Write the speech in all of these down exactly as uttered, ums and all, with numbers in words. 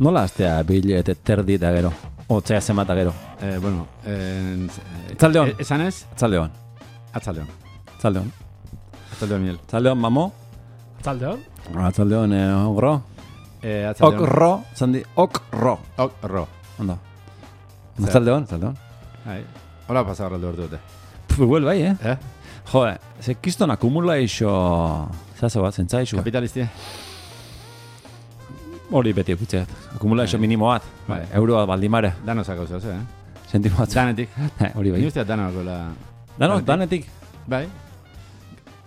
Nola astea bilete terdi eta gero? Otzea zemata gero. Eh, bueno, eh, Atzaldeon. Esan ez? Atzaldeon. Atzaldeon. Atzaldeon. Atzaldeon, Miel. Atzaldeon, mamo. Atzaldeon. Atzaldeon, eh, ogro. Eh, atzaldeon. Okro, zandi, okro. Okro. Ondo. Atzaldeon, atzaldeon. Hai. Hola pasar alde ordu dute. Igual bai, eh? Eh? Jode, ze kiston akumula iso... Zazo bat, zentza iso. Kapitalistia. Hori beti epitzeat. Akumula iso minimo bat. Bai. Euroa baldimare. Dano zako zehaz, eh? Sentimo bat. Danetik. Hori bai. Ni usteat dano gola... Dano, danetik. Bai.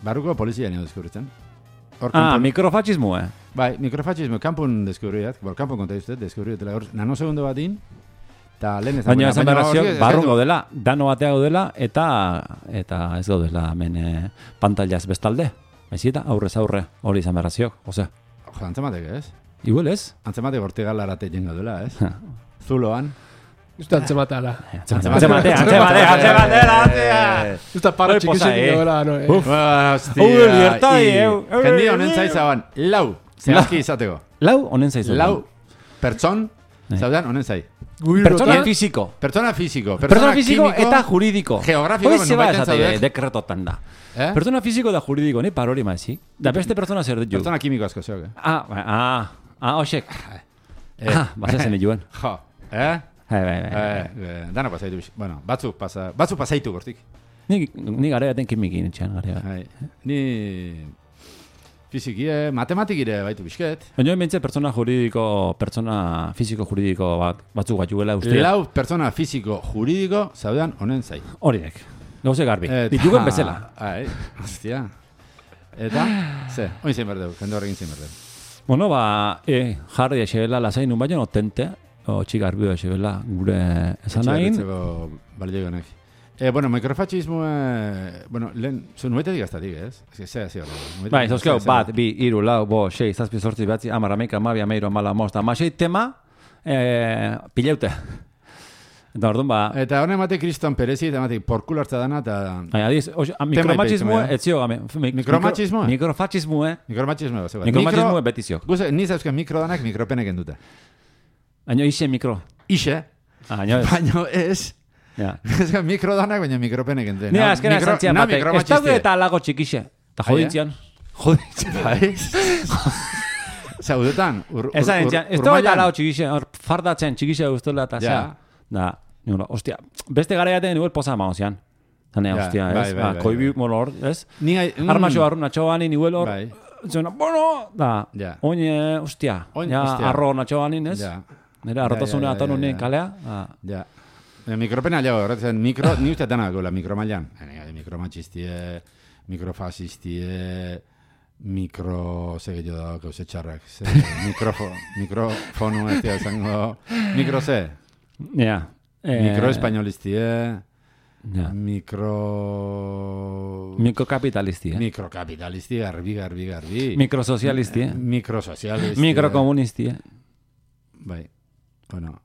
Barruko polizia nio deskubritzen. Hor Ah, kanpon- mikrofascismo, eh? Bai, mikrofascismo, kanpun deskubriat. Bor, kanpun konta izte, deskubriatela hor. Nanosegundo batin. Ta lehen ez Baina esan berazio, hor- barrun gaudela, dano batea gaudela, eta eta ez gaudela hemen eh, pantallaz bestalde. Baizita, aurrez aurre, hori izan berazio, ose. Jo, antzematek, ez? Igual ez? Antzematek hortigalarate jengo dela, ez? Zuloan. Justo antzematala. Antzematea, antzematea, antzematea, antzematea! Justo para Hori posa, txikizek eh. gola, no, eh? Uf. Hostia. Hau libertadi, eu. Jendi honen zaizaban, lau. Zehazki izateko. Lau, honen zaizu. Lau pertson, Bai. zaudan honen zai. Pertsona Gubirrotan, fisiko. Pertsona fisiko, Pertsona fisiko kimiko, eta juridiko. geografiko, Hoi zeba nonbaiten esate zaudek. dekretotan da. Eh? Pertsona fisiko da juridiko, ni parori maizi. Da beste pertsona zer ditu. Pertsona kimiko asko zeok, eh? Ah, bai, ah, ah, osek. Eh. Ah, bazazen joan. Jo, eh? Bai, bai, bai. Eh, eh, dana pasaitu bix. Bueno, batzuk pasa, batzuk pasaitu gortik. Ni, ni gare baten kimikin etxean, gare bat. Bai. Ni fizikie, matematikire baitu bizket. Baina hemen pertsona juridiko, pertsona fisiko juridiko bat, batzuk bat juela uste. Lau pertsona fisiko juridiko zaudan honen zai. Horiek. Gauze garbi. Eta- Ditugen bezala. Ai, hostia. Eta, ze, oin zein berdeu, jende horrekin zein berdeu. Bueno, ba, e, jarri esebela lasain un baino notente, o txigarbi esebela gure esan nahin. Etxegarritzeko balio honek. Eh, bueno, mikrofascismo, eh, bueno, lehen, zu nuetetik gaztatik, ez? Ez que, zea, zea, nuetetik. Bai, zauzkeo, zea, zea. bat, bi, iru, lau, bo, sei, zazpi, zortzi, batzi, amara, meika, amabia, meiro, amala, mosta, amasei tema, eh, pileute. Eta orduan, ba, Eta honen emate kriston perezi, eta emate porkulartza dana, eta Ai, adiz, oxe, a, mikromachismo ipeitzen, etzio, game. Mikromachismoa? Mikrofascismo, eh? mikromachismo, zeu. Mikromachismo betizio. Guze, niz euskal mikro danak mikropeneken dute. Baina ise mikro. Ixe, Ah, baina ez. baino ez, Ja. euskal mikro danak, baina mikropeneken dute. Ni azkena esan zian na batek. Ez daude mikromachistia. eta lago txikixe. Eta jodintzian. Jodintzian. Bai. Zaudetan, ur, ur, Esan ur, entzian, ez daude eta lago txikixe. Hor fardatzen txikixe guztola eta Ja. zea. Da, nire, ostia, beste gara jaten nire posa mago zian. Zane, Ja, ostia, bai, ez? bai, Ba, bai, koibi bai. molor, ez? Ni gai... mm, Armaxo barru natxoan nivel hor. Bai. Zena, bueno, da, Ja. oin, eh, ostia, Oin, ja, ostia. arro natxoan ez? Ja, Nire arrotasune Ja, ja, ja, aton ja, honen ja. kalea. Ah. ja. E, mikropena jau, horretzen, mikro, ni uste dana gola mikromailan. E, mikromachistie, mikrofasistie, mikro, ze gehiago da, gauze txarrak, ze, mikrofo, mikrofonu, ez dira zango, mikro ze, Ja. Eh, mikroespainolistie, Ja. mikro... Mikrokapitalisti, eh? Mikrokapitalisti, garbi, garbi, garbi. Mikrosozialisti, eh? Mikrosozialisti. Mikrokomunisti, eh? Bai, bueno...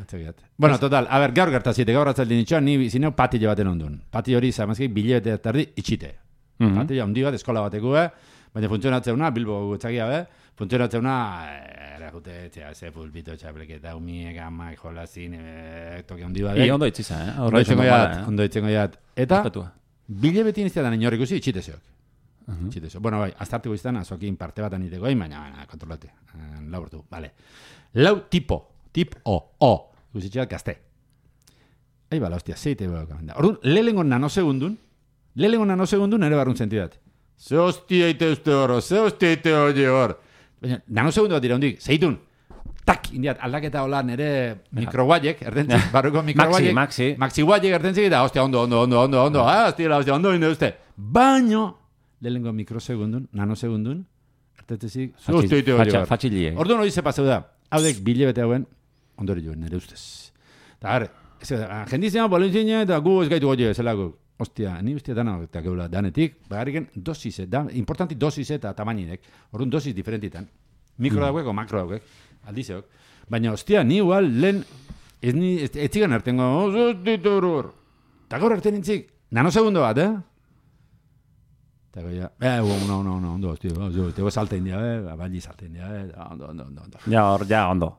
Txegiat. Bueno, total, a ber, gaur gertazite, gaur atzaldin itxoan, ni zineu patile baten ondun. Pati hori, zamazki, bilebete tardi itxite. Mhm. Patile handi bat, eskola bateko, eh? Baina funtzionatzeuna, Bilbo gutxakia, be? Funtzionatzeuna, erakute, txea, ze pulpito, txapleketa, umiek, amak, jolazin, e, toki handi bat. I ondo itziza, eh? Ondo itxengo Horra jat, ondo itxengo jat. Eta, Respetua. bilebetin iztetan inorrik usi, itxite zeok. Mhm. Itxite zeok. Bueno, bai, aztartiko izan, azokin parte bat aniteko, baina, baina, kontrolate. Eh, Lau urtu, vale. Lau tipo, tip O, O, guzitxeak gazte. Ei bala, hostia, zeite beha kamenda. Orduan, lehengo nanosegundun, lehengo nanosegundun ere barrun sentidat. Ze hostia ite uste hor, ze hostia ite hori hor. Baina, nanosegundu bat dira hundik, zeitun, tak, indiat, aldaketa hola nere mikroguaiek, erdentzik, barruko mikroguaiek. Maxi, maxi. Maxi guaiek erdentzik, eta hostia, ondo, ondo, ondo, ondo, ondo, ah, hostia, hostia, ondo, ondo, uste. Baino, lehengo mikrosegundun, nanosegundun, ertetzik, ze hostia ite hori hor. Fatxilie. Orduan hori ze paseu da, haudek bilebete hauen, ondori joen, nire ustez. Eta gara, jendizena, bolintzina, eta gu ez gaitu goi zelako. Ostia, ni ustia dana eta geula danetik, bagariken dosize, da, importanti dosize eta tamainek. Orduan dosis diferentitan. Mikro Mm. dauek o makro dauek, aldizeok. Baina, ostia, ni igual lehen, ez ni, ez, ez zigan artengo, ostia, horor. Eta gaur arten intzik, nanosegundo bat, eh? Eta goia, eh, no, no, no, ondo, tío, tego salta india, eh, balli salta india, eh, ondo, ondo, ondo, ondo. Ja, hor, ja, ondo.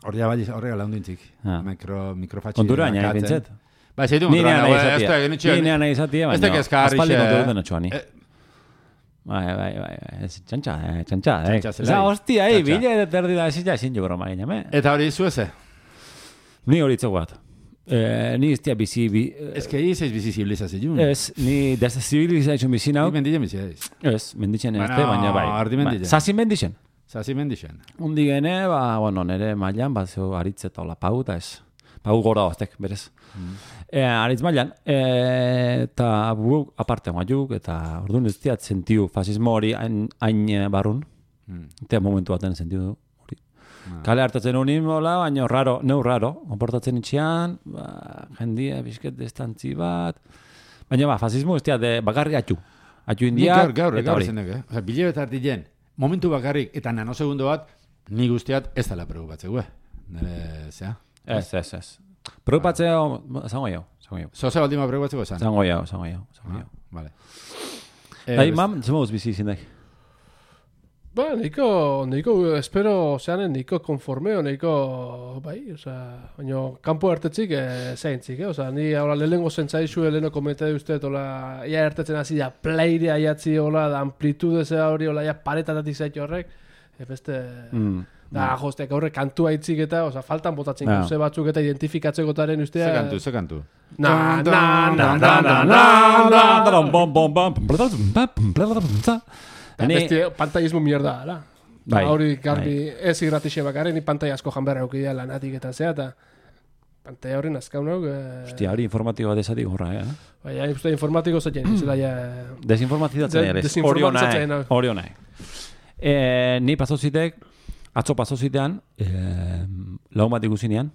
Hor ja balli, horrega laundu intzik. Ah. Mikro, mikrofatxi. Kontura, nahi, bintzet. Ba, zeitu Ni kontura, nahi ez da, izatia. genitxean. Ni nahi izatia, Ez da baina kezkarri, aspaldi xe, kontu eh? duten atxoani. Bai, bai, bai, ez txantxa, eh, txantxa, eh. Txantxa zelai. Za, hostia, eh, Txantxa. bile terdi da, ezin ja, ezin jo broma ginen, eh. Eta hori zueze? Ni hori itzeko bat. Eh, ni iztia bizi, bi, Ez que ez bizi zibilizazioa. ez, ni deszibilizazioa bizi nau. Ni mendile bizi ez. Ez, menditzen ez, Bueno, baina bai. ardi menditzen. Zazin menditzen. Zazi mendixen. Undi gene, ba, bueno, nere mailan, bat zeu aritz eta hola pau, eta ez. Pau gora baztek, berez. Mm. E, aritz mailan, e, eta bu, aparte maiuk, eta orduan ez diat sentiu fasismo hori hain, hain eh, barrun. Mm. Eta momentu baten sentiu du. Hori. Ah. Kale hartatzen unin, hola, baina raro, neu raro, konportatzen itxian, ba, jendia, bizket distantzi bat. Baina ba, fasismo ez diat, de, bakarri atxu. Atxu Ni indiak, gaur, gaur, eta gaur hori. zenek, eh? Osa, bile bet artilen, momentu bakarrik eta nanosegundo bat, ni guztiat ez dela preocupatzeko, eh? Nere, zea? Ez, ez, ez. Preocupatzeo, zango jau, zango jau. Zoze baldima preocupatzeko esan? Zango jau, zango jau, zango jau. Vale. Bai, best- mam, zemuz bizi izindek. Ba, niko, niko, espero, zeanen, niko konformeo, niko, bai, oza, baina, kanpo hartetzik, e, zeintzik, eh? Oza, ni, hola, lehenengo zentzaixu, lehenengo kometa duztet, hola, ia hartetzen hasi da, pleire aiatzi, hola, da amplitude zea hori, hola, ja paretatatik zaitu horrek, e, beste, Mm. da, jostek, horre, kantua itzik eta, oza, faltan botatzen Ja. gauze batzuk eta identifikatzekoetaren ustea. Ze kantu, ze kantu. Na, na, na, na, na, na, na. Da, Ni- beste pantailismo mierda, ala. Bai, Hori garbi ez irratixe bakarren, ni pantaila asko janberra eukidea lanatik eta zea, eta pantaila horren azkaun hau. Eh, Hostia, hori informatibo bat esatik horra, eh? Bai, hain uste informatiko zaten, zela ja... Desinformatizatzen De- ere, hori desinformatizatzen, onai, hau. hori onai. Eh, ni pasozitek, atzo pasozitean, eh, laun bat ikusinean,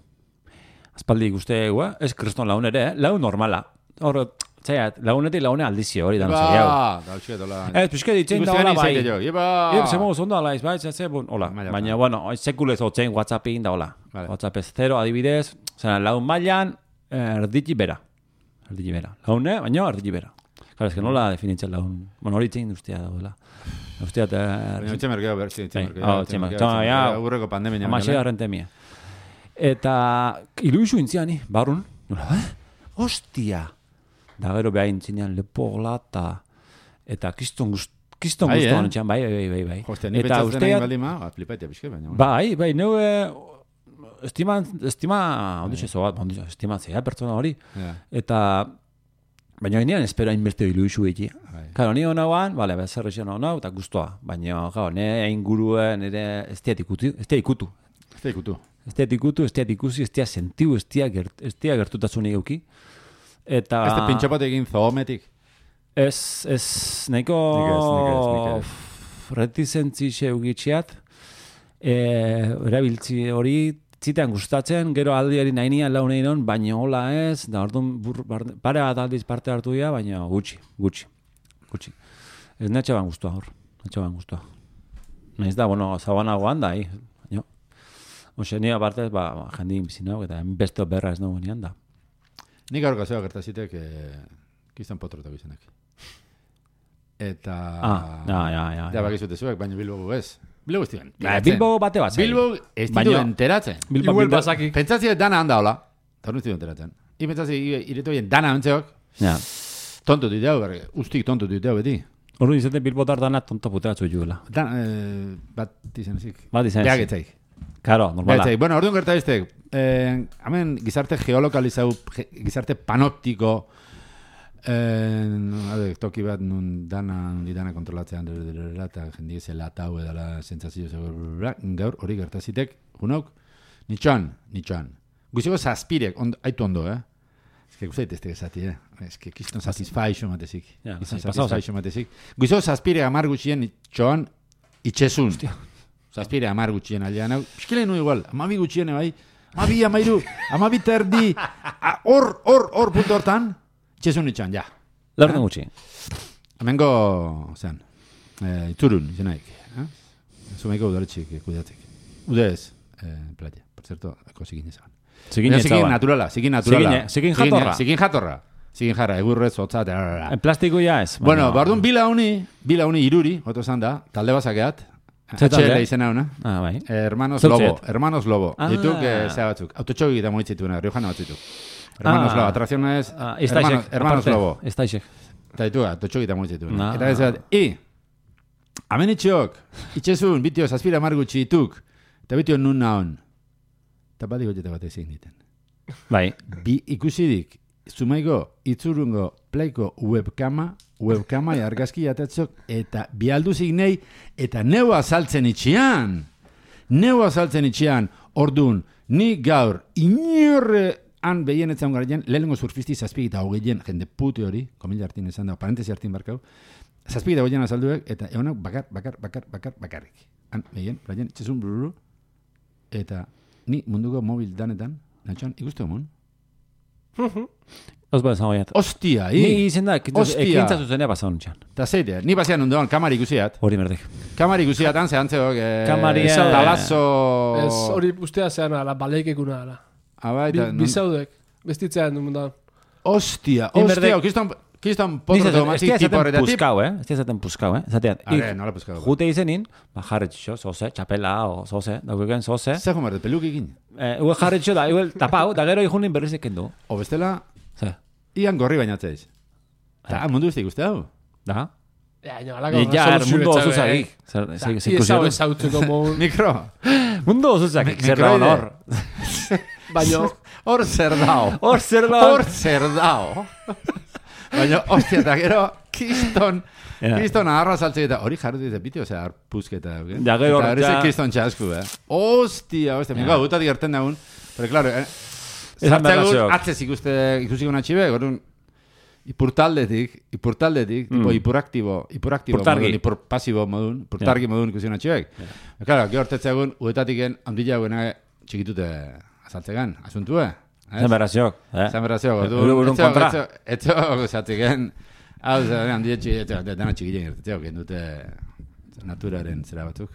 aspaldi ikuste, ua, ez kriston laun ere, eh? Laun normala. Hor, zaiat, launetik laune aldizio hori da, no sei, hau. Ba, da, utxuet, hola. Ez, pixke ditzen da hola bai. Iba! Iba, zemo ondo ala, ez bai, ez bun, hola. Maila, Baina, maila. bueno, sekulez otzein WhatsAppin da hola. Vale. WhatsApp ez zero, adibidez, zera, laun mailan, erditzi bera. Erditzi bera. Laune, baina erditzi bera. Claro, es que nola definitzen laun, bueno, hori itzen ustea daudela. Ustea, Baina utxe merkeo, ber, sí, utxe Bai, merkeo. hau, utxe merkeo. Txoma, ja. Aurreko pandemia. Amasei arrentemia. Eta iluizu intziani, barun, nola, eh? Hostia! Da gero behain zinean lepola eta eta kiston gust, kiston Bai, guztuan eh? etxean, bai, bai, bai, bai. Hostia, ni Eta pentsatzen usteat, nahi baldima, ba, flipaitea pixke, baina. bueno. bai, bai, neu, estima, estima, ondutxe zo bat, ondutxe, estima zea pertsona hori. Ja, Eta, baina nian espero hainbeste iluizu egi. bai. Claro, ni honauan, bale, bezerre xeno honau, eta guztua. Baina, claro, ne inguruen, nire, ez diat ikutu, ez diat ikutu. Ez da ikutu. Ez diat ikutu, ez diat ikusi, ez diat sentiu, ez diat gert, ez diat gertutasunik euki. Eta... Ez da pintxapat egin zoometik. Ez, ez, nahiko Nik ez, nik ez, nik ez. reticentzi xeugitxiat, e, erabiltzi hori zitean gustatzen, gero aldiari nahi nian launein hon, baina hola ez, da orduan bur- bar- pare bat aldiz parte hartu dira, baina gutxi, gutxi, gutxi. Ez netxe ban guztua hor, netxe ban guztua. Naiz da, bueno, zabanagoan da, hi, baina. Oxe, ni aparte, ba, ba, jendin bizinau, eta beste berra ez nago nian da. Nik gaur gazioa gertazitek, eh, kistan potrotak izanak. Eta... Ah, ja, ja, ja. Ja, bakizute zuek, baina Bilbo ez. Bilbo ez diren. Ba, Bilbo bate bat zai. Bilbo ez ditu Baina- enteratzen. Bilbo, Igual Bilbo, basaki. Pentsatzi dana handa hola. Eta hori ez ditu enteratzen. I pentsatzi iretu bien dana ontzeok. ja. Tonto diteu, berre. Ustik tonto diteu beti. Ordu izate Bilbotar dana tonto puteratzu juela. Dan, eh, bat izan ezik. Bat izan ezik. Beagitzaik. Karo, normala. Beagitzaik. Bueno, orduan gerta iztek. Eh, hemen gizarte geolokalizau, ge- gizarte panoptiko, eh, ade, toki bat nun dana, nundi dana kontrolatzean, eta jendi zela eta hau edala sentsazio zego, gaur hori gertazitek, junok, nitxoan, nitxoan. Guziko zazpirek, ond, aitu ondo, eh? Ez que guztait ez tegezati, eh? Ez que kiston satisfaixo matezik. Ja, Kiston lasai, pasau zait. satisfaixo matezik. Guziko zazpirek amar gutxien nitxoan itxesun. Zazpire amar gutxien aldean, hau, piskile nu igual, amabi gutxien bai, amabi, amairu, amabi terdi, a- hor, hor, hor, punto hortan, itxesun itxan, ja. Lorten gutxi. Hemengo, zean, eh, iturun, izenaik, eh? Zumeiko udaletxik kudeatzek. Udez, eh, playa, por cierto, eko zikin izan. Zikin Zikin etzaban. naturala, zikin naturala. Zikin- zikin jatorra. Zikin jatorra. zigin jarra, egurrez, hotza, eta... En plastiko ja ez. Bueno, bardun bila uni, bila uni iruri, oto zan da, talde bazakeat. H L izena una. Ah, bai. Hermanos Zutziet. Lobo, Hermanos Lobo. Ah. Dituk, eh, zea batzuk. Autotxogi eta moitzituna, riojana batzitu. Hermanos Ah. Lobo, atracciones, Ah, Hermanos, Hermanos Lobo. Estaixek. Eta ditu, autotxogi eta moitzituna. Ah. Eta ez bat, i, amen itxok, itxezun, bitio, zazpira margutxi ituk, eta bitio nun naon. Eta bat digoteta bat ezin diten. Bai. Bi ikusidik, zumaiko, itzurungo, plaiko webkama, webkama argazki atatzok, eta bi alduzik nei, eta neu azaltzen itxian. Neu azaltzen itxian, ordun, ni gaur, inorre han behien etzan garen, lehenengo surfisti zazpik eta hogeien, jende pute hori, komila hartin esan da, parentesi hartin barkau, zazpik eta hogeien azalduek, eta egonak bakar, bakar, bakar, bakar, bakarrik. Han behien, braien, txezun bluru, eta ni munduko mobil danetan, natxan, ikustu emon? Os ba esan goiat. Ostia, i! Ni izen da, Ostia. ekintza zuzenea pasaun txan. Eta zeite, ni basean ondoan, kamari ikusiat. Hori merdek. Kamari ikusiat, han zehantzeok, eh, Kamari, eh, talazo... Ez hori ustea zean ala, baleikekuna ala. Abai, Bi, eta... bizaudek, bestitzean du mundan. Ostia, Ni ostia, berdek- kiston... Kiston Ni potro zaten, tomatik ez tipo zaten horretatik. puskau, eh? Ez zaten puskau, eh? Zatean, Are, nola puskau. jute izenin, ba, jarretxo, zoze, txapela, o zoze, daukeken zoze. Zer jomarte, pelukikin. Eh, Ue jarretxo da, igual tapau, da gero ikunin berriz ekendu. O bestela, Ze, ian gorri bainatzeiz. Ta, mundu uste ikuste hau. da? Ja, no, alako, Ni ja, er, mundo oso zagik. Zer, Ia zer, zer, ezau zer, ezautzeko mon, Mikro. mundo oso zagik, zer da Mikroide. honor. baino, Hor zer dao. Hor zer da. Hor zer dao. Baina, ostia, eta gero, kiston... Ja. Kiston aharra saltze eta hori jarri dute biti, osea, arpuzketa. Okay? Ja, gero eta hori ja- ze kiston txasku, eh? Ostia, ostia, Ja. mika, gutatik gerten daun. Pero, claro, eh, Esan sartzeagun, berraziok. atzez ikuste, ikusiko natxibe, gorun, ipurtaldetik, ipurtaldetik, Mm. tipo, ipuraktibo, ipuraktibo Ipurtargi. modun, ipurpasibo modun, ipurtargi modun ikusiko natxibek. Ja. Claro, gero hortetzeagun, uetatiken, handila guena txikitute azaltzegan, asuntue. Zer berraziok, eh? Zan berrazio, Eh, ordu. urun kontra. Etzo, zatziken, hau, zan, handia txiki, dana txikien gertatzeo, gen dute naturaren zera batzuk.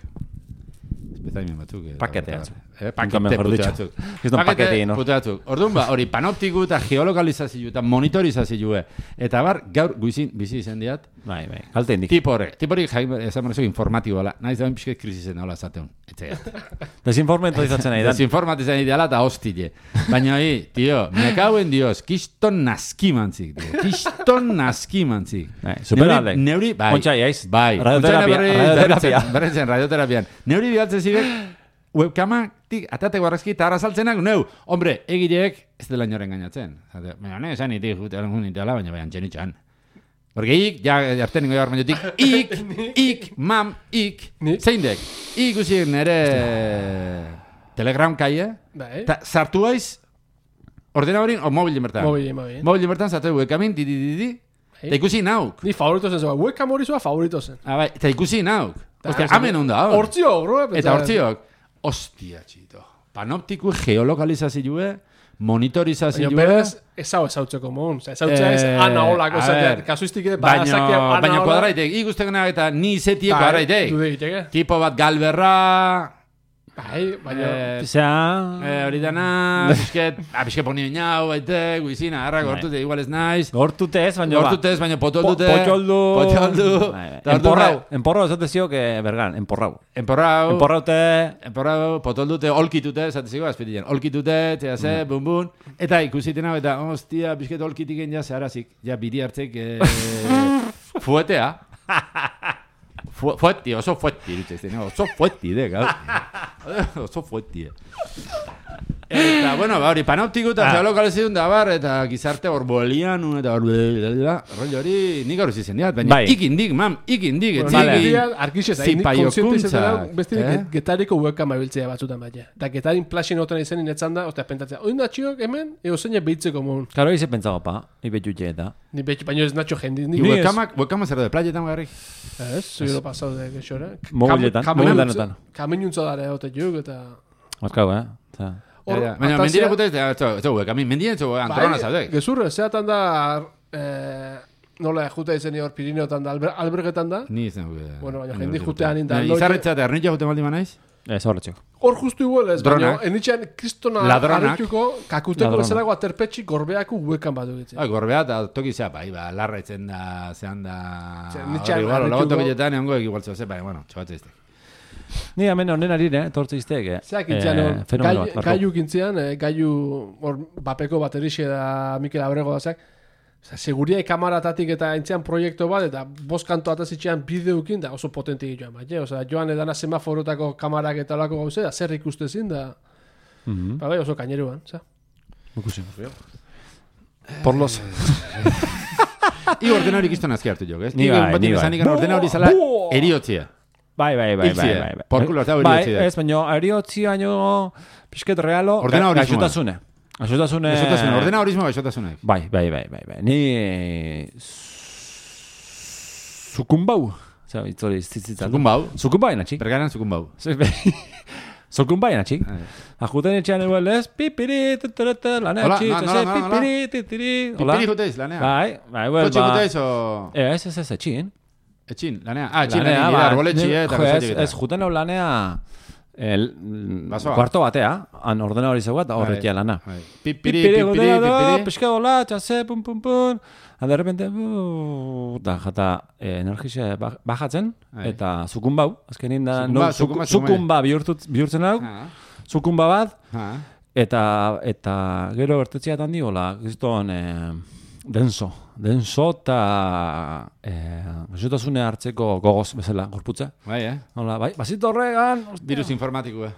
Espezaimen batzuk. eh, Pakete eta- batzuk. Eh, Nunca pakete mejor pute dicho. batzuk. Kiston pakete, no? pute batzuk. Orduan ba, hori panoptiku eta geolokalizazio eta monitorizazio eta bar, gaur guizin bizi izan diat, Bai, bai, kalte indik. tipo horrek. Tipo hori jaim, esan berrezo informatibo ala. Naiz da pixket krisisen hola zateun. Etxeat. Desinformentizatzen nahi da. Desinformatizan ideala eta hostile. Baina hi, tio, me cago en Dios, kiston naskimantzik, tio. Kiston naskimantzik. Bai, superaldek. Neuri, neuri, bai. Ontsa, iaiz. Bai. Radioterapia, Ontsa berriz, radioterapia. berriz- Berrizen, radioterapian. Neuri bialtzen zibek, webkamatik atate guarrazki eta arrazaltzenak, neu, hombre, egireek ez dela inoren gainatzen. Zate, baina, ne, esan itik, jute, egun itala, baina baina txenitxan. Porque ik, ja, arten ingo jarmainotik, ik, ik, mam, ik, Ni? zein dek, ik usik nere Telegram kaie, bai, eta sartu haiz, ordenadorin, o mobilen bertan. mobi, mobi. Mobilen bertan, sartu webkamin, di, di, di, di, eta ikusi nauk. Ni favorito zen zua, webcam hori zua favorito zen. Ah, bai, eta ikusi nauk. Ta, Ostia, esan- amen onda, hor. Hortzio, horro, Eta hortziok, ostia, txito. Panoptiku geolokalizazioe, monitorizazioe. Baina berez, ezau ezautzeko mon. Oza, ezautzea ez, Eh, ana holako, a zatea, ver. kasuistik ere, Baina, bazakia, ana baina hola. kuadraitek, ikusteko eta ni zetieko Bai, kuadraitek. dude egiteke. Tipo bat galberra, Bai, baina... eh, Osea, eh, hori dana, bisket, ah, bisket poni binau, baite, guizina, harra, Bai. gortute, igual ez naiz. gortute ez, baina ba. Gortute ez, baina potoldute. Po- potoldu. Potoldu. Bai, bai. Eta orduan, Enporrau, enporrau esate ziok, eh, bergan, enporrau. Enporrau. Enporraute, Enporrau, potoldute, olkitute, esateziko, azpitien, olkitute, txea ze, bum bum, eta ikusitena, eta, hostia, bisket olkitiken ja zeharazik, ja biri hartzek, eh, fuetea. Fu fuetti, oso fuetti, irutze, no, oso fuetti, de, gau. Oso fuetti. Eta, bueno, ba, hori, panoptiku eta Ah. geolokalizazioa da bar, eta gizarte orbolianu, eta rollo hori, nik gaur izen diat, baina Bai. ikindik, mam, ikindik, Bueno, Vale. ni etzikin. dia, arkixez, hain nik Zipaiokuntza, konsiente izaten da, beste eh? getariko webcam abiltzea batzutan baina. Eta getarin plaxin otan izen inetzan da, ostia, pentatzea, oin natxiok hemen, eo zeina behitzeko mon. Karo, hice pentsado, pa, ibe jutxe eta. Ni betxi, baino ez natxo jendi. Ni Ni Ni ez. webkamak, webkamak zer da, playetan garrik. Ez, zui lo pasau de gexora. Mobiletan, mobiletan. Kaminuntza dara egote juk, eta... Markau, eh? Osea, Hor, Ja, ja. Baina atazia- mendire gute, ez da, webkamin, mendien zu antrona zaudek. Gezurre, zeatan da, eh, nola juta izeni hor Pirineotan da, alber, albergetan da. Ni izan gure. Bueno, baina jendi jutean inda. Izarretza eta ernitza jute maldi manaiz? Ez horretxeko. Hor justu igual ez, baina Dronak. enitxean kristona Ladronak. harrituko, kakuteko Ladronak. bezalago aterpetxik gorbeako huekan bat dugitzen. Ah, gorbea eta toki zea, bai, ba, larra etzen da, zehan da... Ze, Hor, nitxan igual, harrituko- lago tokiletan egongo igual zeu, bai, bueno, txobatze izte. Ni hemen honen arire, tortze izteek, eh? Zeak intzian, Eh, hor, fenomeno gai- bat, barko. gaiu kintzian, eh, gaiu hor bapeko baterixe da Mikel Abrego da zeak, Osa, seguriai kamaratatik eta intzian proiektu bat, eta bost kanto atazitxean bideukin, da oso potentik joan bat, Osa, joan edana semaforotako kamarak eta olako gauze, da zer ikuste zin, da, Mhm. ba, bai, oso kaineruan, za. Ikusi. Por los... I ordenari kiston azki hartu jok, ez? Ni bai, ni bai. Zanik ordenari zala Buah! eriotzia. Bai, bai, bai, bai, Hiltzie. bai, bai. Por culo, eta hori Bai, hiltzie da. ez, baina eriotzi baino pixket realo, Ordena horismoa. gaixotasune. Gaixotasune... Gaixotasuna, ordena horismo gaixotasunak. Bai, bai, bai, bai, bai. Ni... Zukumbau. Zer, itzori, zitzitzal. Zukumbau. Zukumbai, natxik. Bergaran zukumbau. Zukumbai, natxik. Bai. Ajuten etxean eguel ez, pipiri, tuturata, lanea Hola, txik, no, no, no, no, pipiri, titiri. Hola. Pipiri juteiz, lanea. Bai, bai, well, Kotxe ba... juteiz o... Ez, ez, ez, etxin. Etxin, lanea. Ah, etxin, Lanea, lanea, ba, arboletxi, ne- eta jo, ez, gauzatxik ez, juten hau lanea el, Basoa. kuarto batea, han ordena hori zeugat, horretia Bai, lana. bai. Pipiri, Pipiri, pipiri, gotera da, pipiri. pixka dola, txase, pum, pum, pum. Ha, de repente, uh, da, jata, eh, energia ba- bajatzen, Bai. eta zukumbau, azkenin da, Zukumba, no, zuk- zukumba, zukumba. zukumba bihurtut, bihurtzen hau, Ah, zukumba bat, ah. eta, eta gero ertetziat handi, hola, gizton, eh, denso, denso, eta eh, gaixotasune hartzeko gogoz bezala, gorputza. Bai, eh? Hola, bai, bazit horregan, hostia. Virus informatikoa.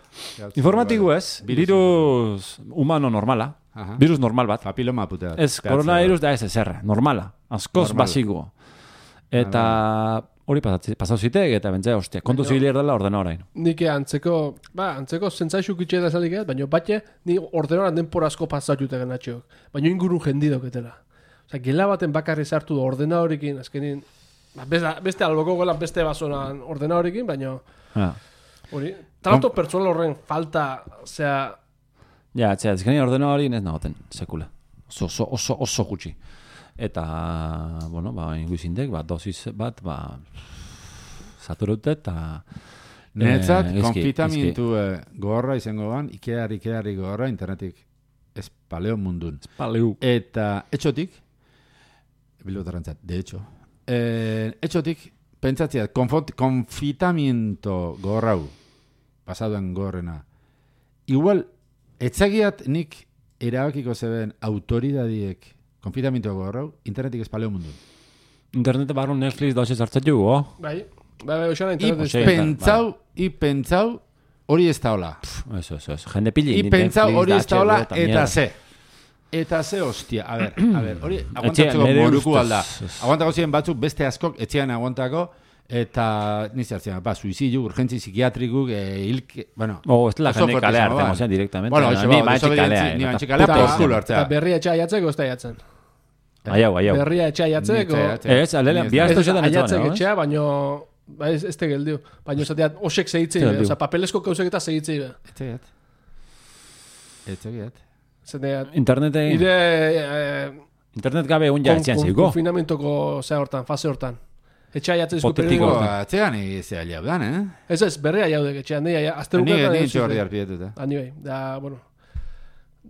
Informatiku ez, Virus. virus humano normala, Aha. virus normal bat. Papiloma putea. Ez, coronavirus da ez ezer, normala, askoz Normal. basiko. Eta hori pasatzi- pasau zitek, eta bentzea, ostia, kontu zibilir dela ordena orain. Nik antzeko, ba, antzeko zentzaixuk itxe da zalik ez, baina batxe, ni ordenoran denpora asko pasatute genatxeok. Baina ingurun jendi doketela. Osa, gela baten bakarri sartu da ordena horikin, azkenin, ba, beste, beste alboko gelan beste basonan ordena horikin, baina Ja, hori, trato pertsonal horren falta, osea, ja etzea, ezkeni ordena hori ez nagoten, sekula. Oso, oso, oso, oso gutxi. Eta, bueno, ba, inguizindek, ba, dosis bat, ba, saturute, eta... Netzat, eh, eski, konfitamentu eh, gogorra izango ban, Ikear, Ikeari gogorra, internetik ez paleo mundun. eski, paleu. Eta etxotik, bilbotarrentzat, de hecho, eh, etxotik, pentsatziat, konfot, konfitamiento gogorrau, pasaduen gogorrena, igual, etzagiat nik erabakiko zeben autoridadiek konfitamiento gogorrau, internetik ez paleo mundun. Internete barru Netflix dauz hartzen jugu, oh? bai, bai, bai, osana I internet Ose, ez. pentsau, i pentsau, hori ez da hola. Eso, eso, eso. Jende pili. I pentsau hori ez da hola, eta mierda. ze. Eta ze hostia, a ber, a ber, hori Etxe, aguantatzeko nere moruku ustez, alda. ez. Aguantako ziren batzuk beste askok etxean aguantako, eta nizartzen, ba, suizidio, urgentzi psikiatrikuk, e, hilke, bueno... Oh, ez la oso jende fuerte kalea izango hartzen, ban. ozean, directamente. Bueno, Ni eso ba, maetxik desobedientzi- kalea, ni eta maetxik kalea, puta por izan. culo hartzea. Eta berria etxea jatzeko ez da jatzen. Aiau, aiau. Berria etxea jatzeko, Ni etxea, Ez, alele, Ni ez bi da. asto ez zetan ez aiatzek dago, etxea, baino, ba, ez, ez te geldiu. Baina esateat, osek segitzei, Ze be, geldiu. oza, papelesko kauzek eta segitzei, be. Etxegiat. Etxegiat. Zateat, Internete, ire, eh, internet gabe egun ja kon- etxean kon- ziko. konfinamentoko, zea hortan, fase hortan. Etxea jatzezko Hipotetiko. periodiko. Etxean izea liabdan, eh? Ez ez, berria jaudek etxean, ni Ni asteruketan. ni txorri arpietuta. Ani bai, da, bueno.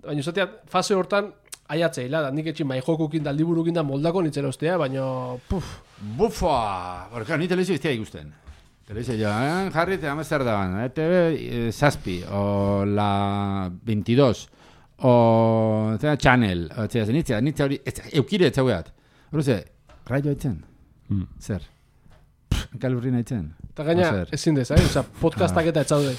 Baina zateat, fase hortan, aiatzeila, da, nik etxin mai jokukin da, liburukin da moldako nitzera ostea, baina, puf, Bufa! Porque ni televizio iztea ikusten. Televizio jo, eh? Jarri eta Amsterdaman, E T V eh, Zazpi, o la veintidós, o zera, Channel, o zera, nitzea, nitzea hori, ez, eukire etxaueat. Horze, raio etzen, Mm. zer? Pff, kalurri nahi tzen. eta gaina, Ozer. ezin dez, eh? Oza, podcastak eta etzaudek.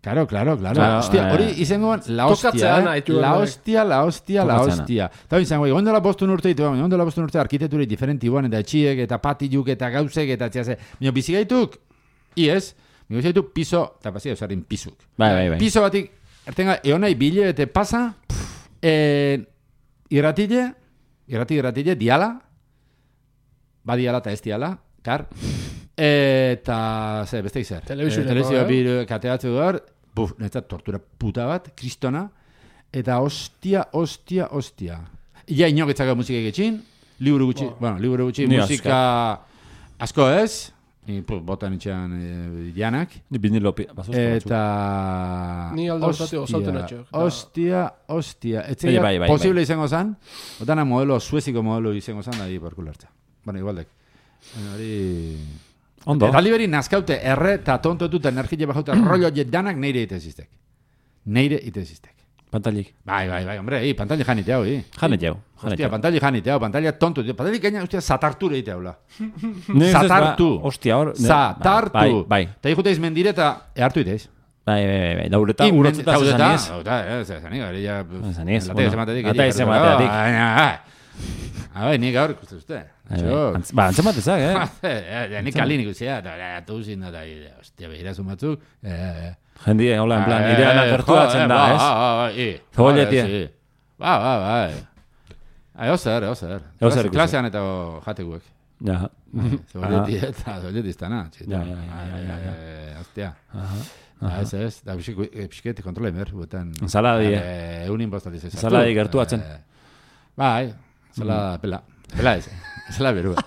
Claro, claro, claro. Claro, Hostia, eh. hori izango ban, la hostia, Tokatzeana eh? ditu La horrek. hostia, la hostia, la Tokatzeana. hostia. Eta hori izango, gondela bostun urte ditu, gondela bostun urte arkiteturik diferenti guan, eta etxiek, eta patiluk, eta gauzek, eta txase. Mino, bizigaituk, iez, mino bizigaituk piso, eta pasia eusarin pisuk. Bai, bai, bai. Piso batik, ertenga, eonai bile, eta pasa, eh, irratile, irrati, irratile, diala, ba diala eta ez diala, kar, eta, ze, beste izer. Telebisio Eh, telebisio eh? biru kateatzu gaur, buf, netzat tortura puta bat, kristona, eta ostia, ostia, ostia. Ia inoketzako musika getxin, liburu gutxi, Bo. bueno, liburu gutxi, Ni musika asko ez, Ni pu, botan itxean e, janak. Ni vinilo basosko batzuk. Eta... Ni alda urtate osauten atxok. Ostia, ostia. Bai, bai, bai, posible bai. izango zan. Otana modelo, sueziko modelo izango zan, da di porkulartza. Bueno, igualdek. Hori... Ondo. Eta liberi nazkaute erre eta tontotuta energia bajaute rollo danak neire ite ziztek. Neire ite ziztek. Pantalik. Bai, bai, bai, hombre, i, pantalla janite hau, i. Janet jau. Hostia, pantalla janite hau, pantalla tonto. Pantalla gaina, hostia, satarture ite haula. Ne, Satartu. Hostia, hor. ne- Satartu. Bai, bai. Eta ikuteiz mendire eta ehartu iteiz. Bai, bai, bai, bai. Laureta urotzeta zezaniez. Hauta, ez, zezanik, hori ja... Zezaniez, Latez bueno. ematetik. Ata ez ematetik. Bai, nik gaur ikusten zute. Ba, antzematezak, eh? Nik kalin ikustea, eta atu zin da, hostia, behirasun batzuk. Jendie, hola, en plan, ideana gertuatzen da, ez? Zebolletie. Ba, ba, ba. Eo zer, eo zer. Eo zer ikusi. Klasean eta jatekuek. Ja. Zebolletie eta zebolletie iztana. Ja, ja, ja, ja, ja. Hostia. Ez, ez. Da, pixket kontrola emer, buetan. Ensaladi, Eunin bostaliz ez. Ensaladi gertuatzen. Bai, ensalada pela. Pela ez. Ensalada berua.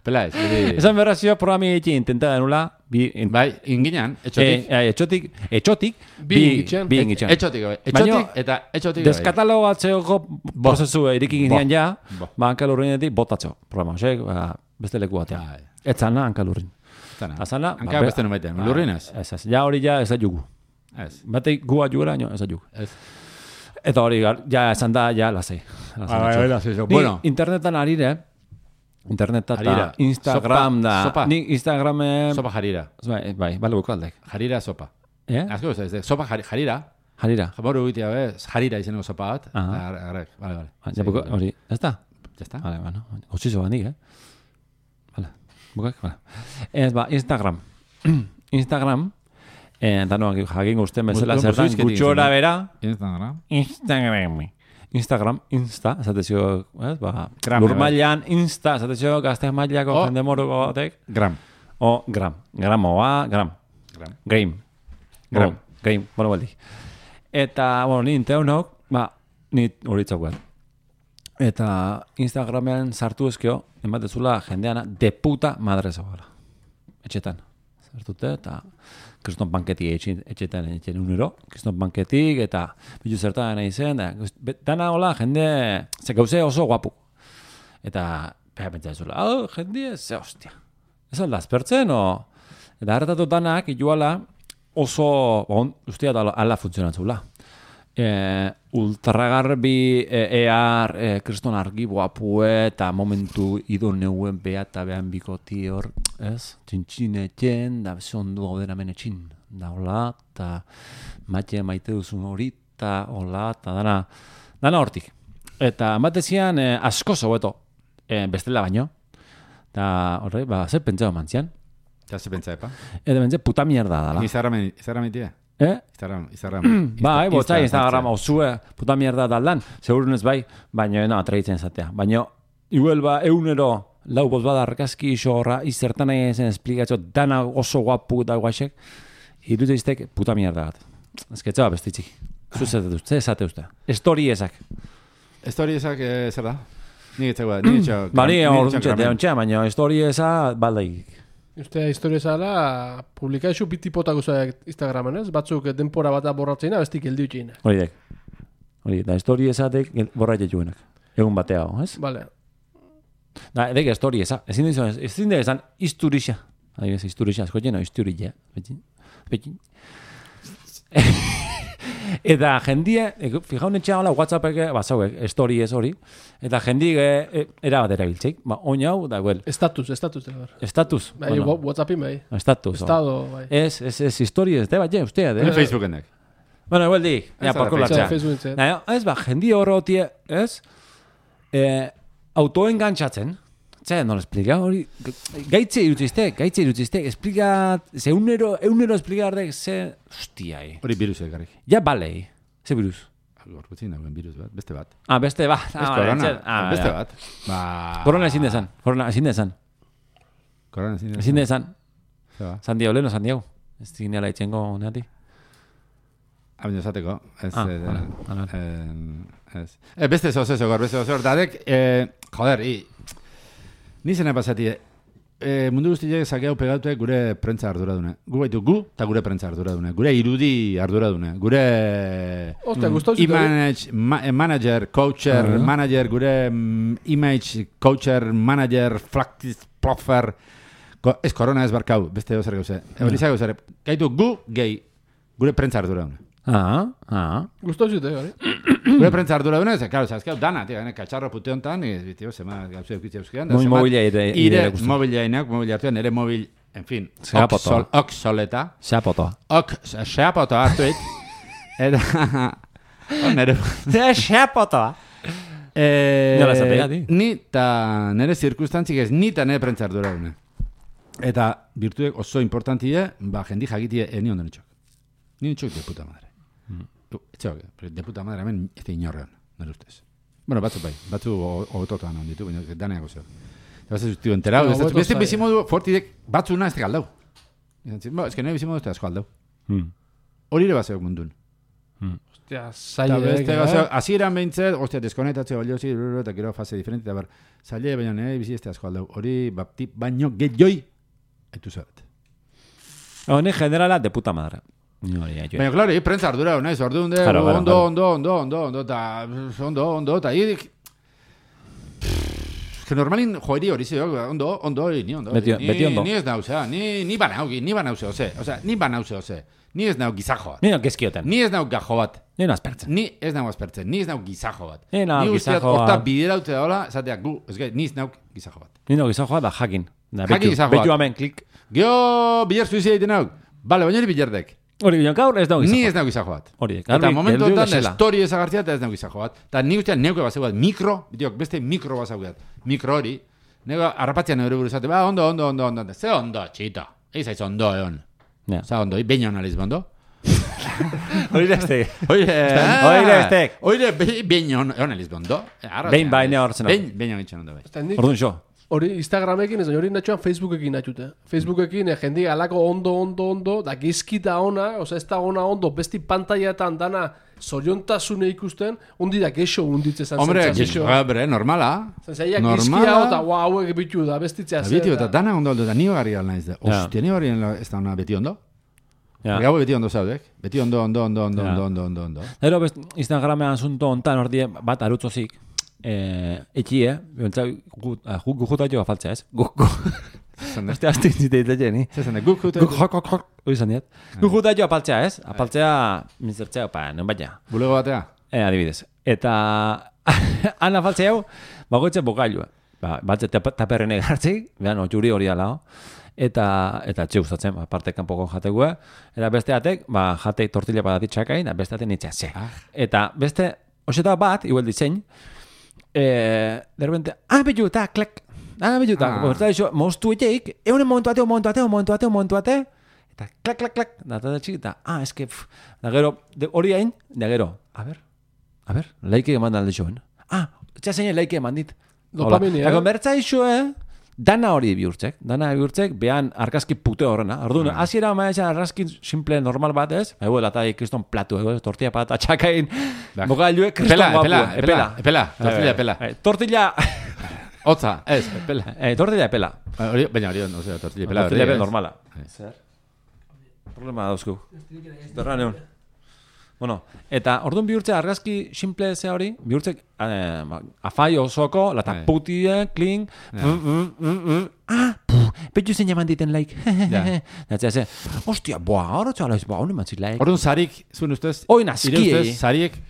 Pela ez. Esan berra zio programi eki intenta denula, bi... Bai, inginan, etxotik. Eh, etxotik, etxotik, Bi ingitxan. Bi ingitxan. Etxotik, bai. Etxotik eta etxotik. Deskatalogatzeoko prozesu irikin ginean ja, Bo. ba, hankalurrinetik botatzo. Programa, osek, ba, beste leku batean. Bai. Ez zana hankalurrin. Zana. Azana, Hanka beste numaitean, lurrinez? Ez, ez, ja hori ja ez da jugu. Ez. Batek gua jugera, no, ez da jugu. Ez. Eta hori, gar- ja esan da, ja, lasei. Ni Bueno, internetan arire, interneta eta Harira. Instagram Sopa, da. sopa. Ni Instagrame... sopa jarira. Bai, bai, bale buko aldek. Jarira sopa. Eh? Azko ez da, sopa jari- jarira. Jarira. Jamoru egitea, be, jarira izeneko sopa bat. Aha. Ar- Arrek, vale, vale. Ah, ja, buko, hori, ez da? Ya está. Vale, bueno, gutxizo bandik, eh? Vale, bukak, vale. Ez, ba, Instagram. Instagram, eh, danoak jakin guztien bezala Mutu- zer dan, musuizketik gutxora izan da. bera, Instagram. Instagram. Instagram, Insta, esatezio, ez, ba, Gram, lur bai. mailan, Insta, esatezio, gazte mailako Oh. jende moruko batek, Gram. o, gram, gramoa, gram, Gram. game, Gram. O, game, bueno, baldi. Eta, bueno, ni inteunok, ba, ni horitzak bat. Eta Instagramean sartu ezkio, ematezula jendeana de puta madre zabala. Etxetan. Sartute, eta kriston banketik etxe- etxetan etxen unero, kriston banketik, eta bilu zertan nahi zen, da, guz- be- dana hola, jende, ze gauze oso guapu. Eta, beha pentsa ezula, oh, jende, ze hostia. Ez alda, azpertzen, o... Eta hartatu danak, iguala, oso, bon, ustea da ala funtzionatzula. E, ultragarbi, e, ear, e, kriston argi guapue, eta momentu ido neuen beha eta behan bikoti hor, ez? Txintxinetxen, da zondu gauden hemen etxin, da hola, eta maite maite duzun hori, eta hola, eta dana, dana hortik. Eta ematezian e, asko zobeto, e, bestela baino, eta horre, ba, zer pentsao mantzian, Ya se pentsa, epa. eta bentze puta mierda dala. Instagram, Instagram itia. Eh? Instagram, Instagram. Bai, botzai Insta- Instagrama osue, puta mierda daldan, segurunez bai, baina no, atraitzen zatea. Baina, igual ba, eunero, lau boz bada argazki iso horra, izertan nahi zen esplikatzo, dana oso guapu da guaxek, irutu iztek puta mierda bat. Ez que txaba bestitzik. Zuzete duz, ze esate uste. Estori ezak. Story esak, eh, zer da? Ni etxegoa, ni etxegoa. Ba, ni hor duntxete, ontsa, baina estori eza baldaik. Ustea historia zala, publikaixu bitipotako zaak Instagramen, ez? Batzuk denpora bat borratzeina, bestik heldu itxeina. Hori dek. Hori, da estori ezatek borra jetuenak. Egun batea, ez? Vale. Da, edek estori eza. Ezin dizu, ezin da esan isturixa. Adibidez, isturixa, asko jeno, isturilla. Betin. Betin. Eta jendie, fijau netxea hola, WhatsAppek, bazauek, story ez hori, eta jendie e, era bat erabiltzeik, ba, oin hau, da, well, Estatus, estatus da ber. estatus, Bai, bueno, WhatsAppin bai. estatus, Estado, bai. ez, ez, ez, historia ez, de bat, ja, ustea, de, Ni Facebooken dek. bueno, igual di, ja, Ez da porko Facebook. latzea, Facebook zen. na, ez, ba, jendie horrotie, ez, eh, autoengantzatzen, Zer, no lo explica hori, gaitze irutziztek, gaitze irutziztek, explica, ze eunero, eunero explicar dek, ze, hostia, eh. Hori virusek garrik. Ja, balei, ze virus. Gorputzin dagoen virus bat, beste bat. Ah, beste bat. Ez Ah, korona, etxe- ah, beste ja. bat. Ba... Korona ezin dezan, korona ezin dezan, Korona ezin dezan. ezin dezan. Zeba. San Diego, leno, San Diego. Ez zinela itxengo neati. Abino esateko. Ez, Ah, eh, vale, vale. eh, ez. Eh, beste zoz ez, gor, beste zoz. Dadek, eh, joder, i... Ni zena pasati, e, mundu guztiak zakeu pegatu gure prentza arduradune. Gu baitu gu eta gure prentza arduradune. Gure irudi arduradune. Gure Ostia, gustau zut. image, ma, manager, coacher, Uh-huh. manager, gure mm, image, coacher, manager, practice, profer. Ko, ez korona ez barkau, beste zer gauze. Hori zago zer. Gaitu gu gehi gure prentza arduradune. Ah, ah. Gustau zute, hori. Gure prentza arduradune, ze, claro, zazkeu dana, tia, gane, katxarro pute hontan, e, tio, zema gauze eukitze euskean. Muy mobila ere Ire mobiliainak, mobil hartuan, nire mobil, en fin, Zeapotoa. oxol, oxoleta. Xapotoa. Ok, zeapotoa hartuit. Eta, nire... Xapotoa. Eh, Nola zapega, di? Ni eta nire zirkustantzik ez, ni eta nire prentza arduradune. Eta virtuek oso importantie, ba, jendi jakitie, eh, ni ondo nitxok. Ni nitxok de puta madre. Etxok, de puta madre hemen ez da inorrean, nire ustez. Bueno, batzu bai, batzu hototan hon ditu, baina daneak oso. Eta batzu zuztiu enterau, No, ez hobeto beste zai. bizimodu fortidek batzuna ez da galdau. Ez que nire bizimodu ez da asko aldau. Mm. Hori ere bazeok mundun. Ostia, Eta zaila. beste eh? gauza, hasieran behintzet, ostia, deskonektatzea balio zi, eta gero fase diferente, eta bar, zaila baina nire bizi ez da asko aldau. Hori, bapti, baino gehioi, etu zabat. Hone generala de puta madre. No, ya, yo. Baina, klaro, hi prentza ardura, naiz, orduan de, Claro, claro, ondo, claro. ondo, ondo, ondo, ondo, eta, ondo, ondo, eta, hi, que normalin joeri hori zeo, ondo, ondo, ni ondo. Beti- ni, beti ondo. Ni ez nauzea, ni, ni banaugi, ni banauze, ose, osea, ni banauze, ose, ni ez nau gizajo bat. Ni no kezkioten. Ni ez nau gajo bat. Ni no aspertzen. Ni ez nau aspertzen, ni ez nau gizajo bat. Ni nau Ni usteat gizajo horta bat. bideraute daola, esateak gu, ez gai, ni ez nau gizajo bat. Ni no gizajoa da jakin. Da, Jakin betu, gizajoa. betu hemen, klik. Geo, biler suizia egiten hau. Bale, baina hori bilerdek. Hori, baina gaur ez da Ni gizajoa. ez nau gizajo bat. Hori, Eta momentu geldiu honetan bezala. story ezagartzea eta ez nago gizajo bat. Eta ni ustean neuke bazeu bat, mikro, bideok, beste mikro bazeu bat. Mikro hori, nego harrapatzean neure buruzate, ba, ondo, ondo, ondo, ondo, ondo. Ze ondo, txito. Eiz aiz ondo, egon. Ja. Za ondo, beina analiz bondo. Hori da este. Oire, Oire, estek. Oire, beina analiz bondo. Behin baina hortzen hau. Behin, beina gitxan ondo bai. Eta nik Orduan xo. hori Instagramekin ez, hori natxoan Facebookekin natxute. Facebookekin eh, jendi alako ondo, ondo, ondo, da gizkita ona, oza ez da ona ondo, besti pantaiatan dana zoriontasune ikusten, undi da gexo unditze zan Hombre, zentzazio. bre, normala. Zenzaiak normala. gizkia eta ua hauek bitu da, bestitzea Eta zer. bitu, eta da. dana ondo, eta ni hogarri al naiz da. Ja. Ostia, ni hogarri ez da ona beti ondo. Ja. Gau beti ondo zaudek. Beti ondo, ondo, ondo, ondo, Ja. ondo, ondo, ondo, ondo. Gero best Instagramean asunto hontan ordie bat arutzozik. Eh, etxie, bentsa gujuta joa faltzea, ez? Guk, Zende, Este asti zite ditzen, ni. zende, guk jute, Guk jok, jok, jok, hori izan diat. Gujuta joa apaltzea, ez? Apaltzea, mintzertzea, pa, non baina. bulego batea. Eh, adibidez. Eta, han afaltzea hau, bagoitze bokailua. Ba, batze taperrene gartzik, behan, otxuri hori alao. Eta, eta txe gustatzen, ba, parte kanpoko jategua. Eta beste atek, ba, jatei tortilla badatit txakain, eta beste atek nitzea ze. Ah. Eta beste, oseta bat, igual disein, eh, de repente, ah, betu, eta, klek, ah, betu, eta, Ah. ah. Eta iso, moztu eteik, eunen momentu ate, momentu ate, momentu ate, momentu ate, eta, klak, klak, klak, da, eta txik, eta, ah, eske, pff, da gero, de, hori hain, da gero, a ber, a ber, laike eman alde joen. Ah, etxea zein laike eman dit. Dopamina, Eta eh? konbertza iso, eh? Dana hori bihurtzek, dana bihurtzek, behan argazki pute horrena. Orduan, Ah. hasiera maizan argazki simple normal bat ez, ego eta kriston platu, ego, tortilla patata txakain, Bak. bogailue, kriston Epela, guapua. epela, epela, epela, tortilla epela. Eh, Tortilla, Hotza, ez, epela. eh, tortilla epela. Ba, hori, baina hori, no sé, tortilla epela. Tortilla hori, epela ez? normala. Eh. Zer? Problema dauzku. Derra neun. Bueno, eta orduan bihurtzea argazki simple zea hori, bihurtzek eh, ba, afai osoko, lata Bai. putie, kling, Ja. mm, mm, mm, mm, ah, puh, betu zein jaman diten like. Ja. Datzea ze, ostia, boa, hor txala ez, boa, honi mantzit like. Orduan zarik, zuen ustez, Oin ire askiei. ustez, zariek,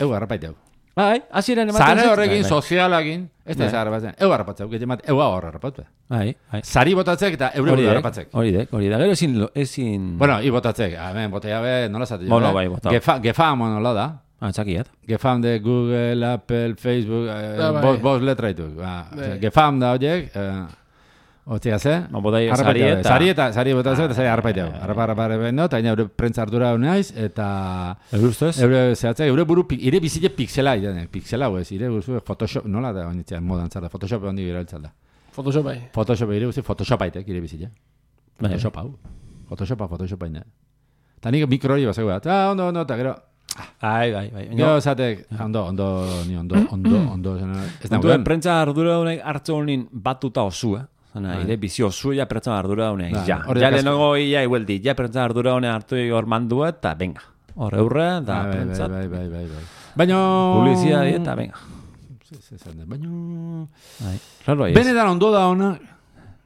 eu garrapaite hau. Bai, hasieran ematen Zare zait. horrekin, Bai, sozialakin, ez da Bai. zara batzen, eu garrapatzeu, gete mat, eu hor garrapatzeu. Bai, bai. Zari botatzek eta eure Hori buru dek, garrapatzek. hori dek, hori da. Gero ezin, lo- ezin... Bueno, i botatzek, hemen, botea be, nola zate jo, Bueno, eh? bai, bota. Gefa, gefam, nola da? Ah, txakiet. Gefam de Google, Apple, Facebook, eh, Ah, bai. bos, bos letra ditu. Ba, Bai. osea, gefam da horiek, eh, Otzia ze? Ba, botai Harrapaite sari hau, eta- Sari eta, sari botatzeu eta sari harrapaite hau. Ah, Harrapa, harrapa, harrapa, no, eta gaina eure prentza ardura hau naiz, eta... Eure ustez? Eure zehatzea, eure buru, pi- ire bizile pixela, ire, pixela, hau ez, ire guzu, Photoshop, nola da, onitzea, modan zara, Photoshop handi biraltzal da. Photoshop bai. Photoshop ire guzu, Photoshop aitek, ire bizile. Bai. Photoshop hau. Photoshopa, Photoshop hain da. Eta nik mikro hori bazego bat, ah, ondo, ondo, eta gero, Bai, bai, bai. gero zatek, ondo, ondo, ni ondo, ondo, ondo, zena, ez Duen nagoen. prentza ardura honek hartze honin batuta osu, eh? Zena, ire bizio zu, ja pertsona ardura hone, Ba, ja. hori Ja kasko- lehenengo ia igueldi, ja pertsona ardura hone hartu hor mandu eta venga. Hor eurre, eta Bai, bai, prentzat. bai, bai, bai, bai. Baina... Publizia eta venga. Baina... Bai, raro aiz. Benetan ondo da ona,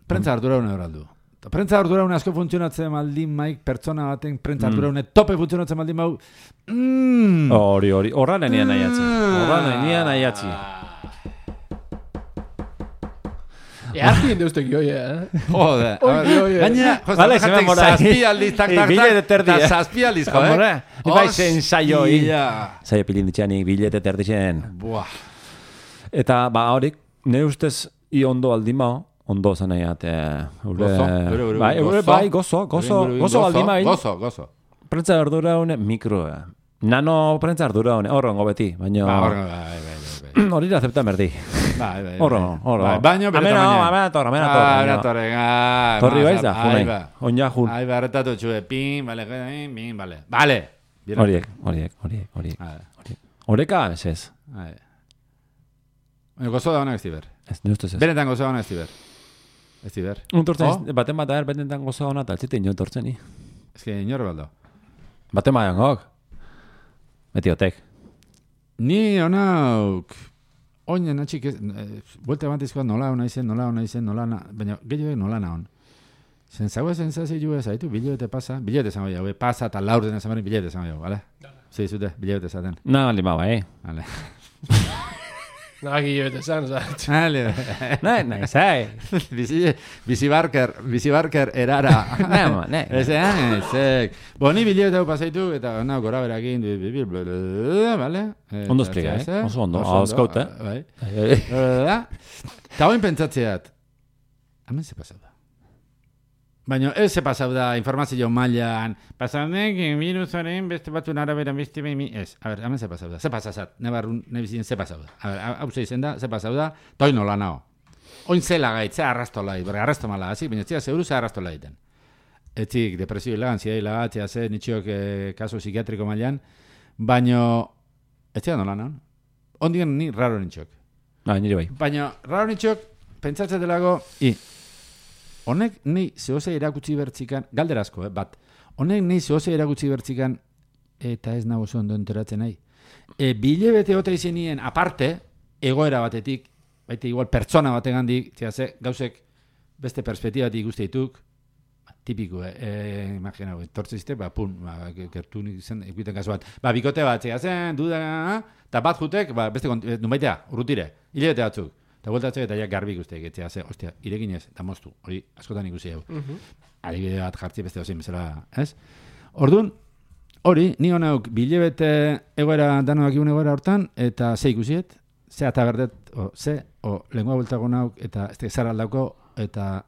prentza ardura hone horaldu. Prentza ardura hone asko funtzionatzen maldin maik, pertsona baten prentza ardura hone tope funtzionatzen maldin mau. Mm. Hori, hori, horra nenian nahiatzi. Horra nenian nahiatzi. Earti indeustek joi, eh? Jode. Oi, oi, oi. Gaina, Vale, se me mora. zazpi aldiz, tak, tak, Billete tak, terdi, eta eh? zazpi aldiz, jo, Hombre, eh? ni bai zen saioi. Hostia. Zaio pilinditxeanik, bilete terdixen. Buah. Eta, ba, horik, nire ustez, i ondo aldimao, ondo zen nahiat, Gozo, eure, eure, bai, eure, gozo. bai, gozo, gozo, Eure, eure, gozo aldima, Gozo, gozo. prentza ardura hone, mikro, nano prentza ardura hone, horrengo beti, baina, Ba, horren, bai, bai, bai, bai. hori da acepta merdi. Bai, bai, Horro, bai. horro. Bai, baino bere Amena, tamaina. amena torre, amena Ah, torre. amena torre, ah, Torri mas, baiz da, ahí junai. va. Onja jun. Ahí va, retatu txue, pin, vale, pin, vale. Vale. Bien. Horiek, horiek, horiek, horiek. Vale. horiek. Horeka, ez ez. Vale. Baina gozo da honak ez diber. Ez, nire ustez ez. Benetan gozo da honak ez diber. Ez diber. Untortzen, Oh? ez, baten bat er, benetan gozo hona, eta etzite inotortzen ni. Ez que inor baldo. Baten bat jangok. Metiotek. Ni honauk... Oinen atxik ez... Eh, Buelte batizkoa nola hona izen, nola hona izen, nola na... Baina gehiago nola na hon. Zen zagoa zentzazio ju ez haitu, biliote pasa. Biliote zango jau, pasa eta laur dena zamarin biliote zango jau, bale? Zi, zute, biliote zaten. Na, lima bai. Vale. Nagi jobete zan, oza. Vale. Nahi, nahi, zai. Bizi, bizi barker, bizi barker erara. Nahi, ma, nahi. Ez, eh, zek. Bo, ni biliote hau pasaitu, eta nao gora berakin, vale? Ondo esplika, eh? Oso ondo, ahozkaut, eh? Bai. Eta hoin pentsatzeat, hemen ze pasau da. Baina ez ze pasau da informazio mailan, pasaunek virusaren beste batuen araberan beste behin, ez, a ber, hemen ze pasau da, ze pasazat, nebarrun, nebizien ze pasau da. A ber, hau ze izen da, ze pasau da, toi nola nao. Oin zela gait, ze arrasto lai, bera arrasto mala, hasi, baina zia zeuru ze arrasto laiten. Etzik, depresio hilagan, zia hilagan, zia ze, nitxiok eh, kaso psikiatriko mailan, baina, ez zia nola nao. Ondigen ni raro nitxok. Ba, nire bai. Baina, raro nitxok, pentsatzen delago, i, honek nei zehose erakutsi bertzikan, galderazko, eh, bat, honek nei zehose erakutsi bertzikan, eta ez nago oso ondo enteratzen nahi. E, bile bete ota izenien, aparte, egoera batetik, baita igual pertsona bategandik, ze gauzek beste perspektibatik ikuste dituk, tipiko, eh, eh imagina, tortzizte, ba, pun, ba, gertu nik zen, ekuiten kasu bat, ba, bikote bat, zehazen, duda, eta bat jutek, ba, beste, nunbaitea, urrutire, hilabete batzuk, eta bueltatzek eta ja garbi ikusteak, etzea, ze, ostia, irekin ez, eta moztu, hori askotan ikusi hau. Uh -huh. Adibide bat jartzi beste osin bezala, ez? Orduan, hori, ni honauk bilebete egoera, danoak igun egoera hortan, eta ze ikusiet, ze ataberdet, o, ze, o, lengua bultago nauk, eta ez zara aldauko, eta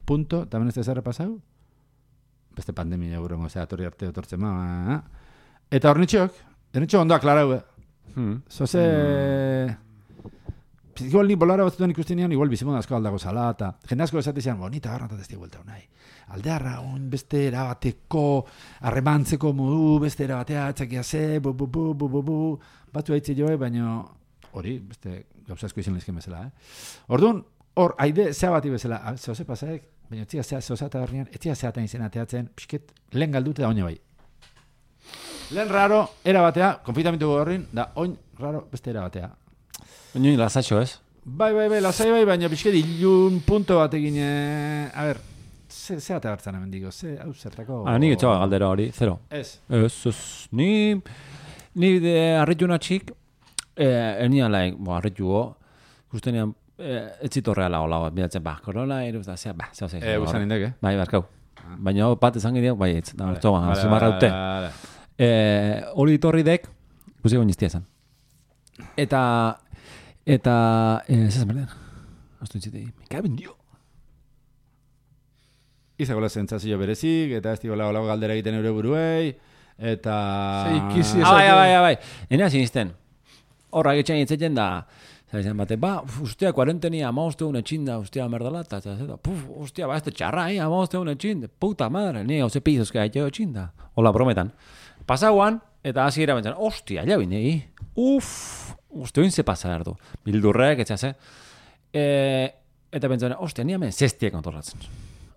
punto, eta ben ez zara pasau, beste pandemia eurrengo, ze, atorri arte otortzen ma, eta hor nitxok, nitxok ondo aklarau, eh? Hmm. Zoze... Igual ni bolara batzutan ikusten nian, igual bizimon asko aldago zala, eta jende asko esatezian, bonita garranta ez vuelta unai. Aldearra, un beste erabateko, arremantzeko modu, beste erabatea, atxakia ze, bu, bu, bu, bu, bu, bu, batu haitze joe, baina hori, beste gauza asko izan lezken bezala, eh? Orduan, hor, haide, zea bati bezala, zoze pasaek, baina etzia zea, zoza eta horrean, etzia zeatan izan ateatzen, pixket, lehen galdute da oine bai. Lehen raro, erabatea, konfitamentu horrin, da oin raro, beste erabatea. Baina lasatxo ez? Bai, bai, bai, lasai bai, baina pixket ilun punto bat egin, eh, a ber, ze, ze ate hartzen hemen digo, ze, hau zertako... Ah, nik etxoa galdera hori, zero. Ez. Ez, ez, ni, ni de arritu natxik, eh, enian laik, bo, arrituo, guztenean, eh, etzitorreala hola bat, bidatzen, ba, korona, iruz da, zea, ba, zea, zea. Eh, usan indek, eh? Bai, barkau. Baina bat esan gideak, bai, ez, da, hartu, zumarra dute. Hori ditorri dek, guzi guen jiztia esan. Eta, eta, ez ez merden, astu intzitei, me caben dio. Izagola zentzazio berezik, eta ez digola olago galdera egiten eure buruei, eta... Ze ikizi Ah, bai, bai, bai, enea sinisten. Horra getxain etzetzen da, zaizan bate, ba, ustea, kuarentenia, ama uste un etxinda, ustea, merdala, eta zeta, puf, ustea, ba, este txarra, eh, ama uste un etxinda, puta madre, ni hauze pizozka etxeo etxinda. Hola, brometan. Pasauan, eta hasi era bentzen, ostia, ja binei, uff, uste oin ze pasa erdu. Bildurrek, etxase. E, Eta pentsan, ostia, ni hemen zestia kontrolatzen.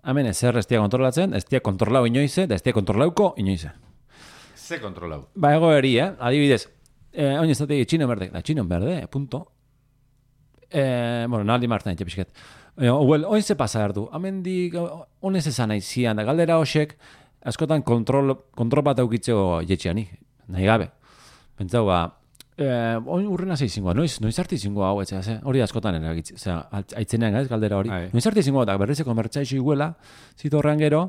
Hemen ezer ez dia kontrolatzen, ez dia kontrolau inoize, da ez dia kontrolauko inoize. Ze kontrolau. Ba, ego eri, eh? Adibidez, eh, oin ez dati txino berde, da txino berde, punto. Eh, bueno, naldi martan etxe pixket. Eh, well, oin ze pasa erdu, hemen di, honez esan nahi zian, da galdera hosek, askotan kontrol, kontrol bat aukitzeo jetxeanik, nahi gabe. Pentsau, ba, eh, oin urrena zeizingoa, noiz, noiz arti zingoa hau, etxea, ze, hori askotan eragitze, osea, aitzenean ez, galdera hori. Ai. Noiz arti zingoa, eta berrizeko mertxaixo iguela, zitorrean gero,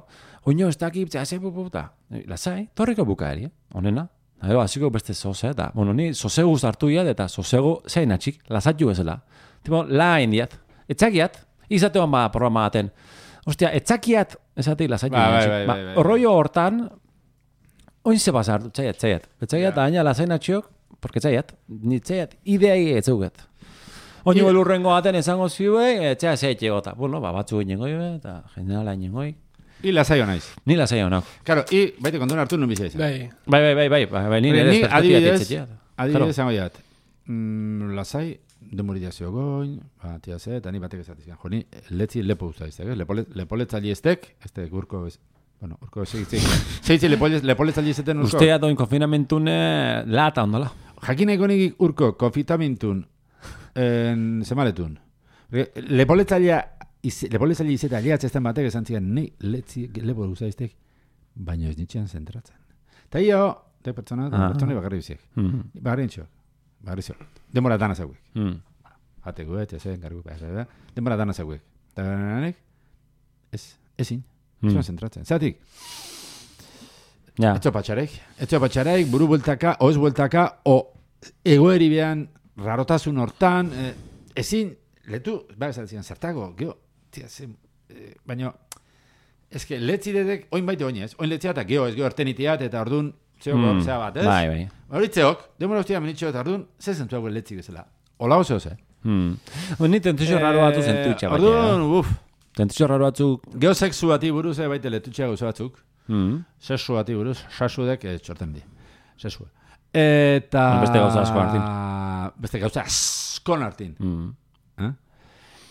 oino ez dakip, zera, ze puputa, lasai, torriko bukaeri, eh? Honena. Ego, hasiko beste zoze, eta, bueno, ni zozegu hartu iat, eta zozegu zein atxik, lasatju bezala. Tipo, lain diat, etzakiat, izatean ba programa baten. Ostia, etzakiat, esatik lasatju. Ba, bai, bai, bai, bai. Rollo hortan, oin ze pasar, txaiat, txaiat. Etzakiat, Ja. aina lasain atxiok, porque txaiat, ni txaiat, ideai etzeuget. Oino elurrengo baten esango ziue, etxea zeitxe gota. Bueno, ba, batzu inengoi, eta generala inengoi. I lasaio naiz. Ni lasai honak. Claro, i baite kontuan hartu nun bizi izan. Bai. Bai, bai, bai, bai, bai, bai, ni Ni nire perspektiba adibidez, ditzetxea. adibidez zango jat. Mm, lasai, demorizazio goin, ba, tia ze, eta ni batek esatizan. Jo, ni letzi lepo usta iztek, eh? Lepole, lepoletzali estek, este urko, ez, bueno, urko segitzik. Seitzi lepoletzali izeten urko. Ustea doin konfinamentune lata ondola. Jakineko nik urko konfitamintun en semaletun. Lepoletzalia lepoletzaile izeta aliatzezten batek esan zian, nei letzi lepo usta iztek, baina ez nitxean zentratzen. Ta io, te pertsona, Ah. pertsona bakarri biziek. Mm. Bagarri entxo. Bagarri zo. Demora dana zauek. Mm. Hate guet, jasen, gargu, behar, demora dana zauek. Eta ganek, ez, ezin. Ez Mm. zentratzen. Zatik, Ja. etxo patxarek. Etxo patxarek, buru bueltaka, oz bueltaka, o egoeri behan, rarotasun hortan, eh, ezin, letu, behar esatzen, zertago, geho, tia, zen, eh, baina, eske, letzi dedek, oin baite oinez, oin letzia eta geho, ez geho ertenitiat, eta ordun, zeok, Mm. zea bat, ez? Bai, bai. Horitzeok, demora ustia menitxo eta ordun, ze zentu hau letzi bezala. Ola oso, ze? Mm. Ni tentuzio raro batzu zentutxa baina. Ordun, uf, Tentuzio raro batzu... geho sexu bati buruz, eh, baite letutxea gauza batzuk. Mm. Sexu bati buruz, sasudek eh, txorten di. Sexua. Eta... Beste gauza asko hartin. Beste gauza askon hartin. Mm. Eh?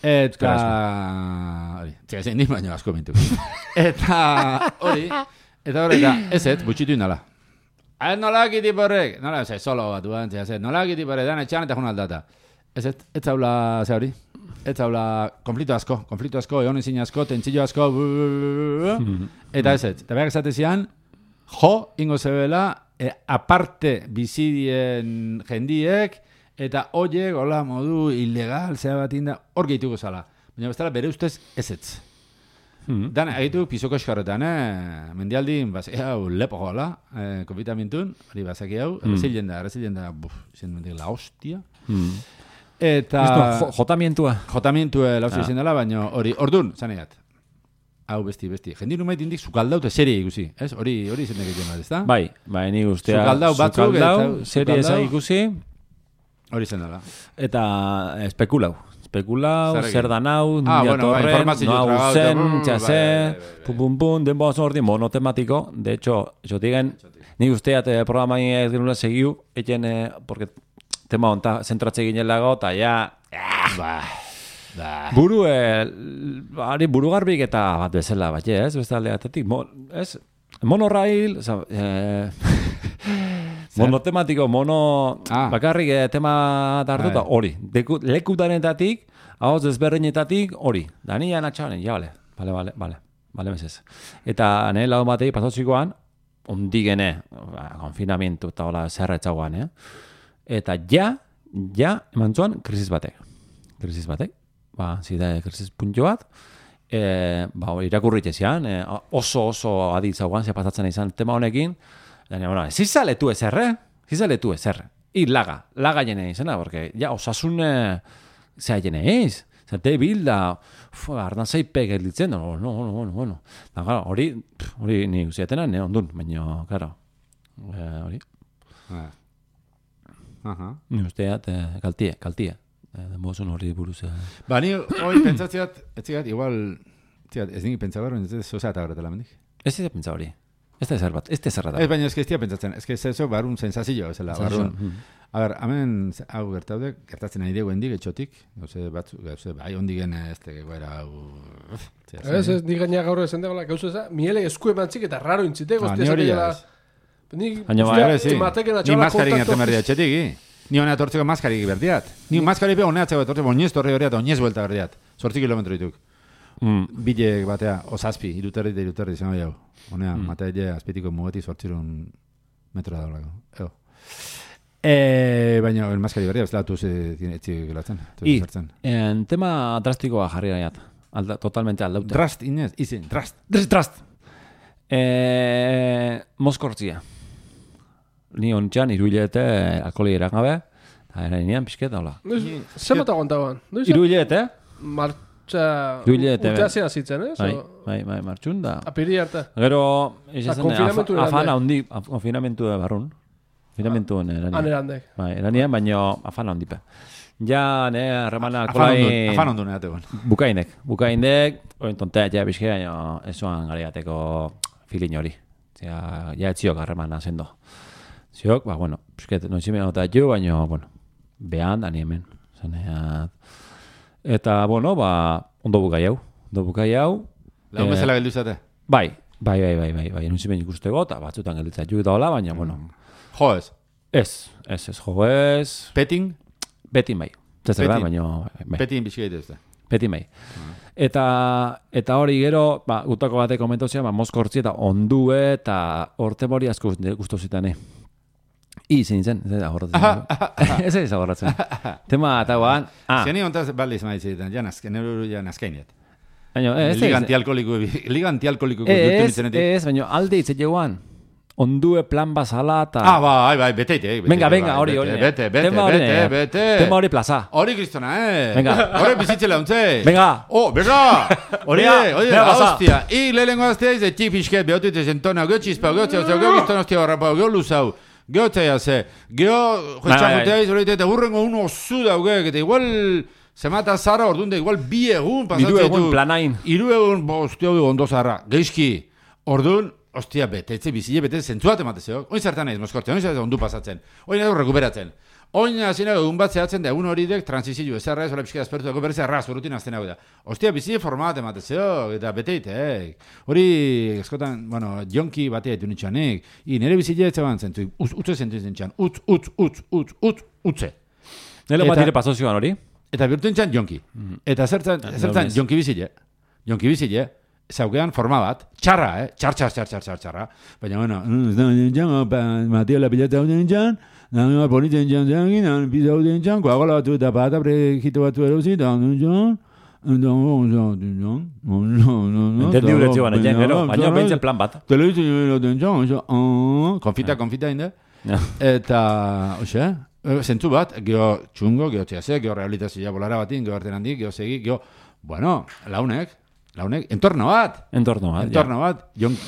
Eta... Euskaraz. Hori, txega zein di, baina asko mintu. Eta... Hori... Eta hori, eta ez ez, butxitu indala. Ez nola egiti borrek, nola, ez solo bat duan, txega zein, nola egiti borrek, dan etxan eta jun aldata. Ez ez, ez zaula, ze hori? Ez zaula, konflikto asko, konflikto asko, egon ezin asko, tentzillo asko, bu, bu, bu, bu. Eta ez ez, eta behar esatezian, jo, ingo zebela, e, aparte bizidien jendiek, eta oiek, hola, modu ilegal, zea bat inda, hor gehituko zala. Baina bestela bere ustez ez ez. Mm. Dan, egitu pizoko eskarretan, eh? Mendialdin, bazaki hau lepo joala, eh, konfitamintun, hori bazaki hau, Mm. errezilen da, errezilen da, buf, izen mendik la hostia. Mm. Eta... Esto, jo, jotamientua. Jotamientu lauzi Ah. izan dela, baina hori, ordun, zaneiat. Hau besti, besti. Jendin numait indik sukaldaute serie ikusi, ez? Hori, hori izen egiten bat, ez da? Bai, bai, ni ustea... Sukaldau batzuk, sukaldau, eta- serie eza sukaldau. ikusi, Hori izan dela. eta espekulau. Espekulau, Zer egin? zer dan hau, Ah, bueno, bai, torren, informazio no hau trabau, zen, eta- txase, bai, bai, bai, bai. pum, pum, pum, denbo oso ordi monotematiko. De hecho, yo digan, ni usteat eh, programa ez genula segiu, eten, eh, porque tema honta zentratze ginelago, eta ja, Ba, ba. buru, eh, ari buru garbik eta bat bezala, bat, ez, beste aldeatetik, mo, ez, monorail, oza, eh, monotematiko, mono, Ah. bakarrik eh, tema hartuta, Bai. hori, Deku, lekutanetatik, hau desberdinetatik, hori, da nila natxanen, ja, bale, bale, bale, bale, bale, mesez. Eta nahi lagun batei, pasatzikoan, ondigene, ba, konfinamientu eta hola zerretzagoan, eh? Eta ja, ja, eman zuan, krisis batek. Krisis batek, ba, zide krisis puntio bat, e, ba, hori irakurrit ezian, e, oso oso aditzagoan, ze pasatzen izan tema honekin, eta bueno, ez izaletu ezerre, ez izaletu ezerre. I laga, laga jene izena, porque ja, osasun, e, zea jene eiz, zerte bilda, arnazaipek gelditzen, no, no, no, no, bueno. Da, claro, hori, pff, hori ni usiatena, ne, ondun, baina, claro, e, hori, Ah. Aha. ni usteat, e, kaltie, kaltie. Denbozun hori buruz. eh. Ba, ni hori pentsatziat, ez ziat, igual, ziat, ez nik pentsa behar, ez zozea eta horretela mendik. Ez ez pentsa hori. Ez da ezer bat, ez da ezer bat. Ez baina ez que estia pentsatzen, ez que zezo barun sensazio, zela, barun. A ber, hemen, hau gertaude, gertatzen nahi dugu hendik, etxotik, gauze batzu, gauze, bai, hondigen ez tegegoera, hau... Ez, ez, ni gaina gaur esan dagoela, gauze eza, miele esku emantzik eta raro intziteko, ni hori ez. Baina, bai, sí. Ni maskarik gertzen berdia etxetik, ni honea tortzeko maskarik berdiat. Ni maskarik be honea txeko tortzeko oinez torre horiat, oinez buelta berdiat. Zortzi kilometro dituk. Mm. Bile batea, osazpi, iruterri eta iruterri, zen hori hau. Honea, mm. matea ide, azpitiko mugeti zortzirun metro da dolako. Ego. E, baina, el maskari berria, ez latu etxik gelatzen. I, en tema drastikoa jarri gaiat. Alda, totalmente aldauta. Drast, inez, izin, drast. Drast, drast. E, Moskortzia. Ni ontxan, iruilete alkoholi erangabe, eta erainian pixket, hola. Zer bat aguantaban? Iruilete? Martxa... Iruilete. Urteazia zitzen, ez? Bai, bai, bai, martxun da. Apiri arte. Gero, afana hondi, konfinamentu barrun. Konfinamentu eranian. Han erandek. Bai, eranian, baina afana hondipe. Ja, ne, arremana alkoholai... Afan ondu neategon. Bukainek, bukainek, oin tontea, ja, bizke, baina esuan gariateko filin hori. Ja, ja etziok arremana zendo. Ziok, ba, bueno, bizket, noitzime nota jo, baina, bueno, behan, dani hemen. Zaneat. Eta, bueno, ba, ondo bukai hau. Ondo bukai hau. Lau bezala geldu izate? Bai, bai, bai, bai, bai, bai, noitzime ikusteko, eta batzutan gelditza jo eta hola, baina, bueno. Jo ez? Ez, ez, ez, jo ez. Peting? Betin bai. Zer da, baina... Bai. Petin biziki ez da. Petin bai. Eta, eta hori gero, ba, gutako batek komentozia, ba, Moskortzi eta ondue eta orte mori asko guztu zitan, eh? I, zein zen, ez da horretzen. Ez ez horretzen. Tema, eta guan... Ah. Ziani ontaz baliz maizitzen, ja nazken, nero ja nazkainiet. Baina, ez ez... Liga antialkoliko, liga antialkoliko... Ez, ez, baina alde hitz egeuan. Ondue plan bazala eta... Ah, bai, bai, beteite. Venga, venga, hori, hori. Bete, bete, bete, bete. Tema hori plaza. Hori kristona, eh? Venga. Hori bizitzela untze. Venga. Oh, berra! Hori, hori, hostia. I, lehenko aztea izte txip isket, behotit ezen tona, geho txizpa, geho txizpa, geho gizton hostia barrapa, geho luzau, geho txaia ze, geho joitxamutea izolite, eta hurrengo uno osu dauge, eta igual... Zemata zara orduan da igual bi egun pasatzen ditu. Iru egun planain. Iru egun, bo, hostia, ondo zarra. Geizki, orduan, hostia, betetze, bizile, betetze, zentzuat ematezeo. Oin zertan naiz, Moskortzen, oin zertan ondu pasatzen. Oin edo rekuperatzen. Oin azina egun bat zehatzen da, egun hori dek transizio, ez arra, ez hola pixka azpertu dago, berriz arra, zurutin azten hau da. Hostia, bizile format ematezeo, eta beteite, eh. Hori, eskotan, bueno, jonki batea etu nitxanek. I, nire bizile etxaban zentu, utze zentu zentxan, utz, utz, utz, utz, utz, utze. Nire bat dire pasozioan hori? Eta bihurtu nintzen jonki. Eta zertzen, zertzen jonki bizile. Jonki bizile, zaukean forma bat, txarra, eh? Txar, txar, txar, txar, txar, txarra. Baina, bueno, ez da nintzen, Mateo la pilata hau nintzen, nire politzen nintzen zen, pizza hau nintzen, koagola batu eta pata prejito batu erosi, eta nintzen, entendi uretzi baina, gero, baina behintzen plan bat. Telebizio nintzen, konfita, konfita inde. Eta, oxe, zentzu bat, geho txungo, geho txase, geho rehabilitazioa bolara batin, geho arten handik, geho segi, geho, bueno, launek, launek, entorno bat. Entorno bat, entorno bat,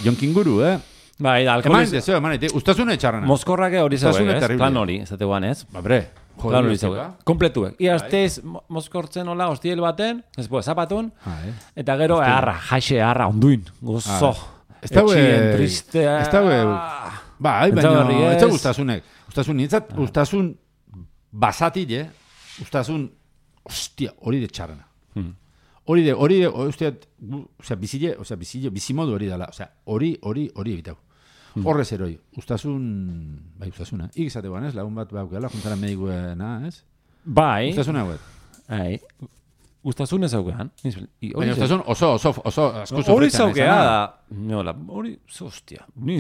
jonkinguru, eh? Bai, da, alkoholiz... Eman, zeo, eman, ustazune txarrana. Moskorrake hori zauek, ez? Plan hori, ez dute guan, ez? Ba, bre, plan hori zauek. Kompletuek. Iazteiz, Moskortzen hola, hostiel baten, ez bo, zapatun, eta gero, eharra, jaixe, eharra, onduin, gozo, etxien, tristea... Ez daue, bai, baina, ez da ustazunek. Ustazun, nintzat, ustazun basatik, eh? Ustazun, ostia, hori de txarrana. Hori de, hori de, ostia, osea, bizile, osea, bizile, bizimodu hori dala, osea, hori, hori, hori egitau. Horrez eroi, ustazun, bai, ustazuna, ikizate guan, ez? Lagun bat baukela, juntara medikuena, ez? Bai. Ustazuna guet. Bai. Ustazun ez aukean. Baina ustazun oso, oso, oso, asko sofretan. Hori zaukea da, nola, hori, hostia, ni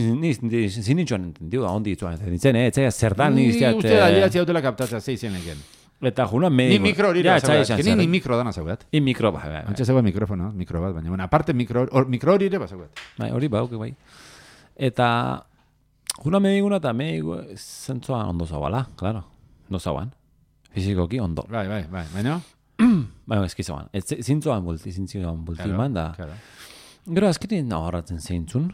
zinitxoan entendiu da, ondi itzuan, nintzen, eh, etzea zertan, ni izteat... Uste da, liatzi hautela kaptatzea, zeizen egen. Eta juna medico. Ni mikro hori da zaugat. Ni ni mikro dana zaugat. Ni mikro, bai, bai. Antxe zaugat mikrofono, mikro bat, baina, bueno, aparte mikro, or, mikro hori ere bazaugat. Bai, hori bau, bai. Eta juna medicuna eta medico zentzuan ondo zaubala, claro. Ondo zauan. Fizikoki ondo. Bai, bai, bai. Baina? Bai, eskizoan. Zintzuan bulti, zintzuan bulti man da. Gero azkenean nahoratzen zeintzun,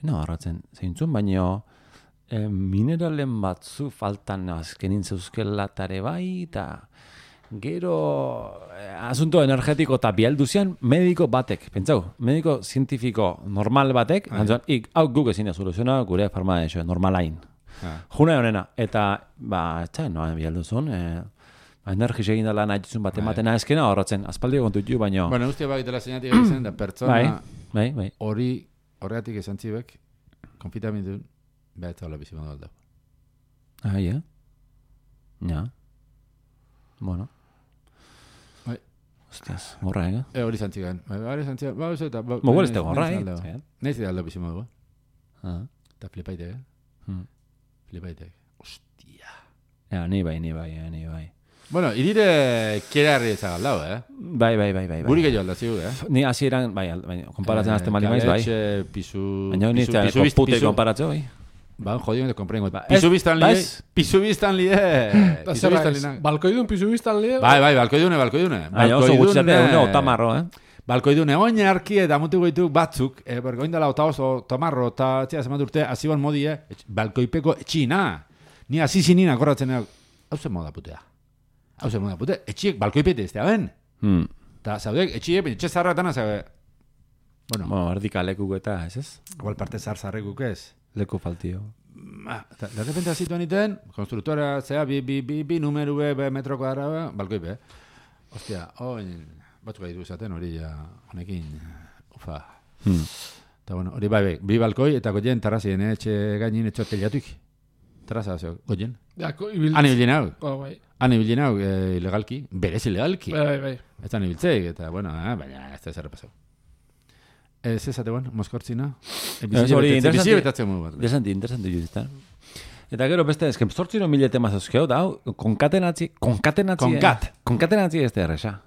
nahoratzen zeintzun, baina E, mineralen batzu faltan azkenin zeuzkela tare bai, eta Gero, eh, asunto energetiko eta bialduzian, mediko batek, pentsau, mediko zientifiko normal batek, antzuan, ik, hau guk ezin da soluziona gure farma eso, normalain. Ah. Juna honena, eta, ba, etxai, noa bialduzun, eh, ba, energis egin dela nahi duzun bat ematen azkena horretzen, aspaldi egon dut baino. Bueno, ustia bakitela zeinatik egiten, da pertsona Bai, bai, bai. hori, horregatik esan txibek, konfitamintu, beha eta hola bizi modu aldau. Ah, ja. Ja. Bueno. Bai. Hostias, gorra, ega? E, hori zantzigan. Bai, hori zantzigan. Ba, oso eta... Ba, Mogu ez da gorra, eh? Naiz da aldo bizi modu, Ah. eta flipaite, eh? Hmm. Flipaite. Ostia. Ja, ni bai, ni bai, eh, ni bai. Bueno, irire kiera herri ezagaldau, eh? Bai, bai, bai, bai. Guri gehiago aldazigu, eh? Ni hasieran bai, al- bai, konparatzen azte mali maiz, bai. Galetxe, pisu... Baina ni pisu- eta pisu- pute pisu- konparatzo, bai. Ba, jodido me te comprengo. Ba, Pisu ez- biztan ba, li, ez- pisu biztan li, pisu biztan li. Balkoidun pisu biztan lie? Bai, bai, balkoidune, balkoidune. Baina oso gutxate, une otamarro, eh? Balkoidune, oin arki eta mutu goitu batzuk, eh, bergo indala ota oso tomarro, eta txea zemat urte, aziban modi, eh, balkoipeko etxina. Ni azizi nina korratzen, hau zen moda putea. Hau zen moda putea, etxiek balkoipete ez da, ben? Hmm. Eta zaudek, etxiek, etxe zarratana, zabe, bueno, Bueno, erdika lekuko eta, ez ez? igual parte zar zarrekuk ez. Leku faltio. Ah, eta de repente azituan iten, konstruktora, zea, bi, bi, bi, bi numeru be, be metro kuadra, balkoipe. Ostia, oin, batzuk gaitu esaten, hori ja, honekin, ufa. Hmm. Eta bueno, hori bai, bai, bi balkoi, eta goien terrazien, eh, etxe gainin, etxe hoteliatuik. Terraza, zeo, goien. Ja, ko- ibil... Han ibilin hau, Oh, bai. han ibilin hau, eh, ilegalki, berez ilegalki. Bai, bai, bai. Ez da ibiltzeik, eta bueno, eh, baina ez da zer pasau. Ez ezate, bueno, moskortzina. Ez hori Bizi interesanti- betatzen modu bat. Interesanti, interesanti juzita. Eta gero beste, esken zortzino mila tema zazkeo, da, hau, konkatenatzi, konkatenatzi, Konkat. eh? Konkatenatzi ez da erresa.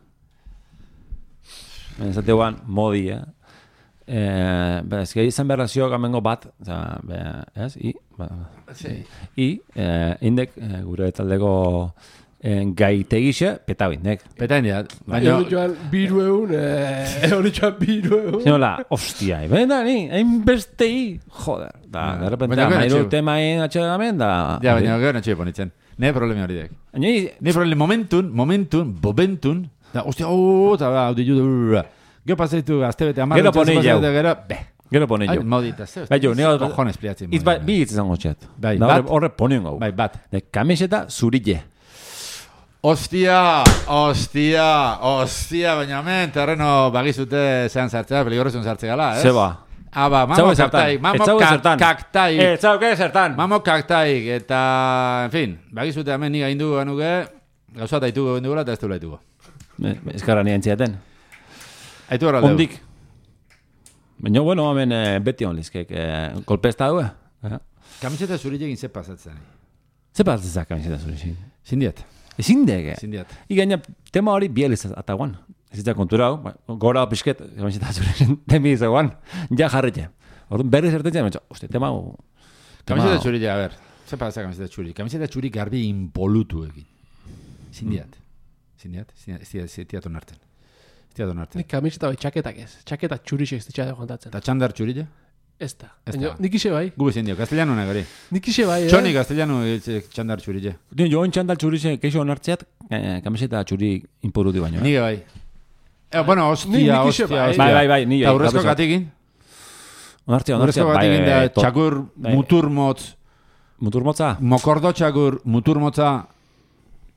Ez da guan, modi, eh? Eh, ba, ez gai izan behar ziok amengo bat, oza, be, ez, i, ba, Sí. i, eh, indek, eh, gure taldeko eh, gaitegixe, petau indek. Petain diat, Baina... baina... joan biru egun, eh, hori joan biru egun. Zinola, ostia, benda ni, hainbestei, joder, da, Ah, de repente, baina gero amairu atxio. temain atxegamen, da... Ja, baina gero natxe ponitzen. Ne problemi hori dek. Baina, i- Ne problemi momentun, momentun, bomentun, da, ostia, ooo, eta ba, hau ditu, gero pasaitu azte bete amar, Gero poni jau. Gero, be, Gero pone ai, jo. modita, zeu, Bai, jo, nio- cojones pliatzen. Itz ba, bi hitz izango txet. Bai, Da, bat. horre- Horre ponien gau. Bai, bat. De kamiseta zurille. Ostia, ostia, ostia, baina hemen terreno bagizute zean sartzea, peligrosun sartze gala, ez? Zeba. Aba, Etzau mamo ez zertan. kaktaik, mamo Etzau ez kak- zertan. kaktaik, Eh, zau, que zertan? mamo kaktaik, eta, en fin, bagizute hemen niga indu ganuke, gauza eta itugu indugula eta ez duela itugu. Ezkarra nien ziaten. Aitu horra aldeu. Ondik. Baina, bueno, hemen eh, beti hon lizkek. Eh, kolpesta hau, eh? Kamiseta zurile egin ze pasatzen. Ze pasatzezak kamiseta zurille? Zindiat, Ezin dege. zindiat. Igaina, tema hori bieliz ataguan. Ez ditzak kontura hau, ba, gora pisket, kamiseta zurille, temi izaguan. Ja jarretxe. Orduan berri zertetzen, betxo, uste, tema hau... tema Kamiseta hau- txurila, a ber, ze pasa kamiseta txuri? Kamiseta txuri garbi inpolutu egin. Zindiat, zindiat, zindiat, zindiat, zindiat onartzen. Zindiat onartzen. Nik kamiseta bai txaketak ez. Txaketa txurixek ez ditxate kontatzen. Eta txandar txurila? Ez da. Ez Baina, da. nik ise bai. Gu zindio, castellano negari. Nik ise bai, eh? Txoni castellano egitze txandar txurila. Dio, joan txandal txurixe, keixo onartzeat, eh, kamiseta txuri inporuti baino. Eh? Nige bai. Eh, bueno, Ni- ostia, nik ixe ostia, bai. ostia. Bai, bai, bai, ni Eta urrezko gatoz. gatikin? Onartzea, onartzea, Urrezko bai, gatikin da bai, to- txakur bai. mutur motz, Mutur motza? mokordo txakur mutur motza,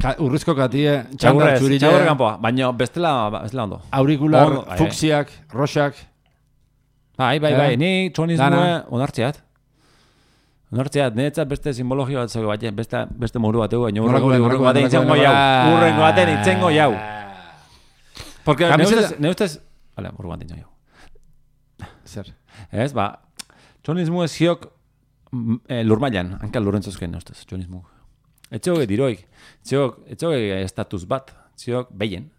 ka- urrezko gatie, txandar Txagurrez, txagurre txurila, kanpoa, baina bestela, bestela ondo. aurikular, Ondo, bai. fuksiak, roxak, Bai, bai, Eh? bai, ni txonizmue Dana. onartzeat. Onartzeat, niretzat beste simbologia bat zego bat, beste, beste moru bat egu, baina Nolako, urrengo nolako, urrengo baten nolako, itzengo jau. nolako. Urrengo baten itzengo jau. Porque ne Kamiseta- ustez, ne ustez, hala, urrengo baten itzengo jau. Zer? Ez, ba, txonizmue ziok mm, eh, lurmailan, hanka lurrentzozken, ne ustez, txonizmu. Etxoge diroik, etxoge, etxoge estatus bat, ziok behien.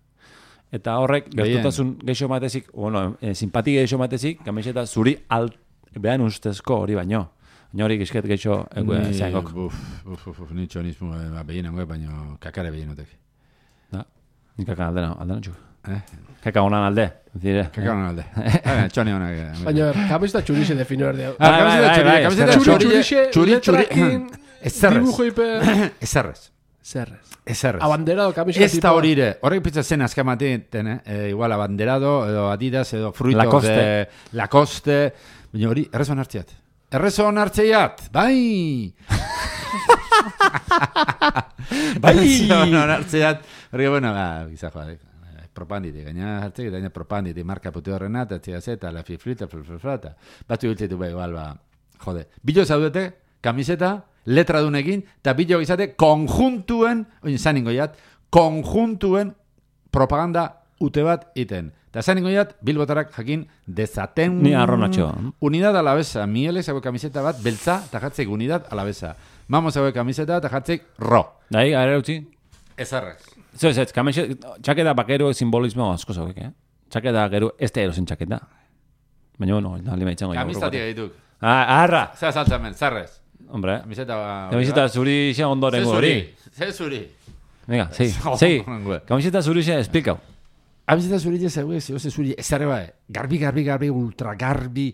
Eta horrek, Behien. gertutasun geixo matezik, bueno, eh, simpatia geixo matezik, kamiseta zuri alt, behan ustezko hori baino. Baina hori gizket geixo Ni- zeangok. Uf, uf, uf, uf, ni txonismo eh, behien angoe, baina kakare behienutek. Da, nik kakan aldena, aldena txuk. Eh? Kaka honan alde, zire. Kakare honan alde. Eh, Txoni honak. eh, Baina, kamiseta txurixe defino erdi hau. Ah, Bai, kamiseta bai, txuri, bai, kamiseta bai, Txuri txuri, txurixe, txuri, txuri, letrakin, ezerrez, dibujo ipe... ezerrez, Zerrez. Ezerrez. Abanderado kamiseta Ez da horire, horrek pizza zen azkamaten, eh? E, igual abanderado, edo Adidas, edo Fruitos Lacoste. de Lacoste, baina hori, errezon hartziat. Errezon hartziat, bai! bai! Errezon hartziat, hori, bueno, ba, giza joa, propandite, gaina hartzik, gaina propandite, marka putu horrena, eta txia zeta, la fifrita, flata, batzu giltzetu bai, igual, ba, jode. Bilo zaudete, kamiseta, letra dunekin, eta bilo izate, konjuntuen, oin, zaningo jat, konjuntuen propaganda ute bat iten. Eta zaningo jat, bilbotarak jakin dezaten... Ni arronatxo. Unidad alabesa, mielek zago kamiseta bat, beltza, eta jatzek unidad alabesa. Mamo zago kamiseta, eta jatzek ro. Dai, gara utzi? Ez arrez. Zer, zer, kamiseta, txaketa bakero simbolismo asko zauk, eh? Txaketa gero, ez da erosin txaketa. Baina, bueno, da lima itxango. Kamistatik egituk. Ah, arra! Zer saltzamen, zarrez. Hombre, Kamiseta... kamiseta zuri xe ondoren hori. Zer zuri. Venga, sí, sí. Kamiseta zuri xe, esplikau. Kamiseta zuri ez zeu, ez zuri, ez arre bai. Garbi, garbi, garbi, ultra garbi,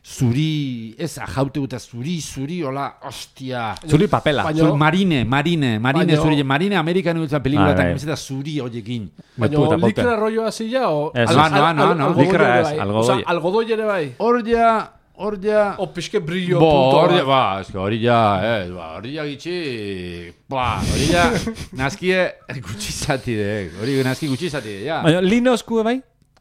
zuri, ez ajaute guta zuri, zuri, hola, ostia. Zuri papela. Baina- Zuri, marine, marine, marine Baina- zuri, marine amerikan gutza pelikula, Ah, eta bai. kamiseta zuri hoiekin. Baina Puta, puta. likra rolloa zila o... Ez, al- no, al- no, al- no, no. algodoi Likra ere ez, bai. algodoi. Osa, algodoi ere bai. Hor ja, hor ja... O pixke brillo Bo, punto hori, bat. ba, eske hori ja, eh, ba, hori ja gitxi, ba, hori ja, nazkie gutxi zati de, hori nazki gutxi zati de, ja. Baina, linosku bai?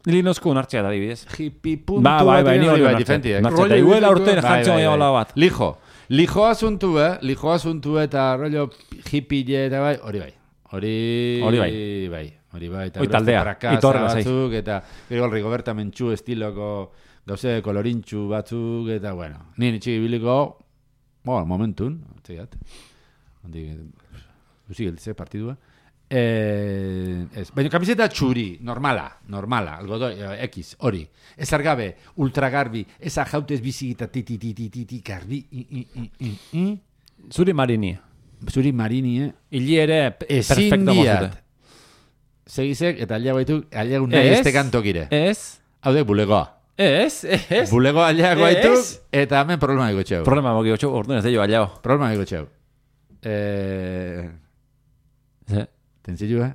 Linosku nartzea da, dibidez. Hippie puntu Ba, bai, bai, ni hori bai, nartzea. diferenti, eh. Nartzea, Rollo eta iguela diferentu, urtean eh. jantzio bai, hola bat. Lijo, lijo asuntu, eh, lijo asuntu eta rollo hippie eta bai, hori bai. Hori, Hori bai. bai, hori bai. Eta Hoi beste taldea, prakasa itorra, zai. batzuk, eta gero Rigoberta Mentxu estiloko gauze kolorintxu batzuk, eta bueno, nien itxik biliko, bueno, momentun, txegat, hondi, duzik geltze partidua, eh, ez, baina kamiseta txuri, normala, normala, algodoi, eh, X, hori, ez argabe, ultragarbi, ez ajautez bizigita, ti, ti, ti, ti, ti, ti, garbi, i, i, i, i, i, Zuri marini. zuri marini, eh, Ili ere pe- ezin perfecto diat, mozute. segizek, eta alia baitu, alia nahi Ez? este kantokire, Ez? hau de, bulegoa. Ez? Ez? Bulego alia gaitu, Ez? eta hemen problema ego txeu. Problema moki gotxo, orduan ez da jo aliao. Problema ego txeu. Eh, Ze? tentzillu, eh?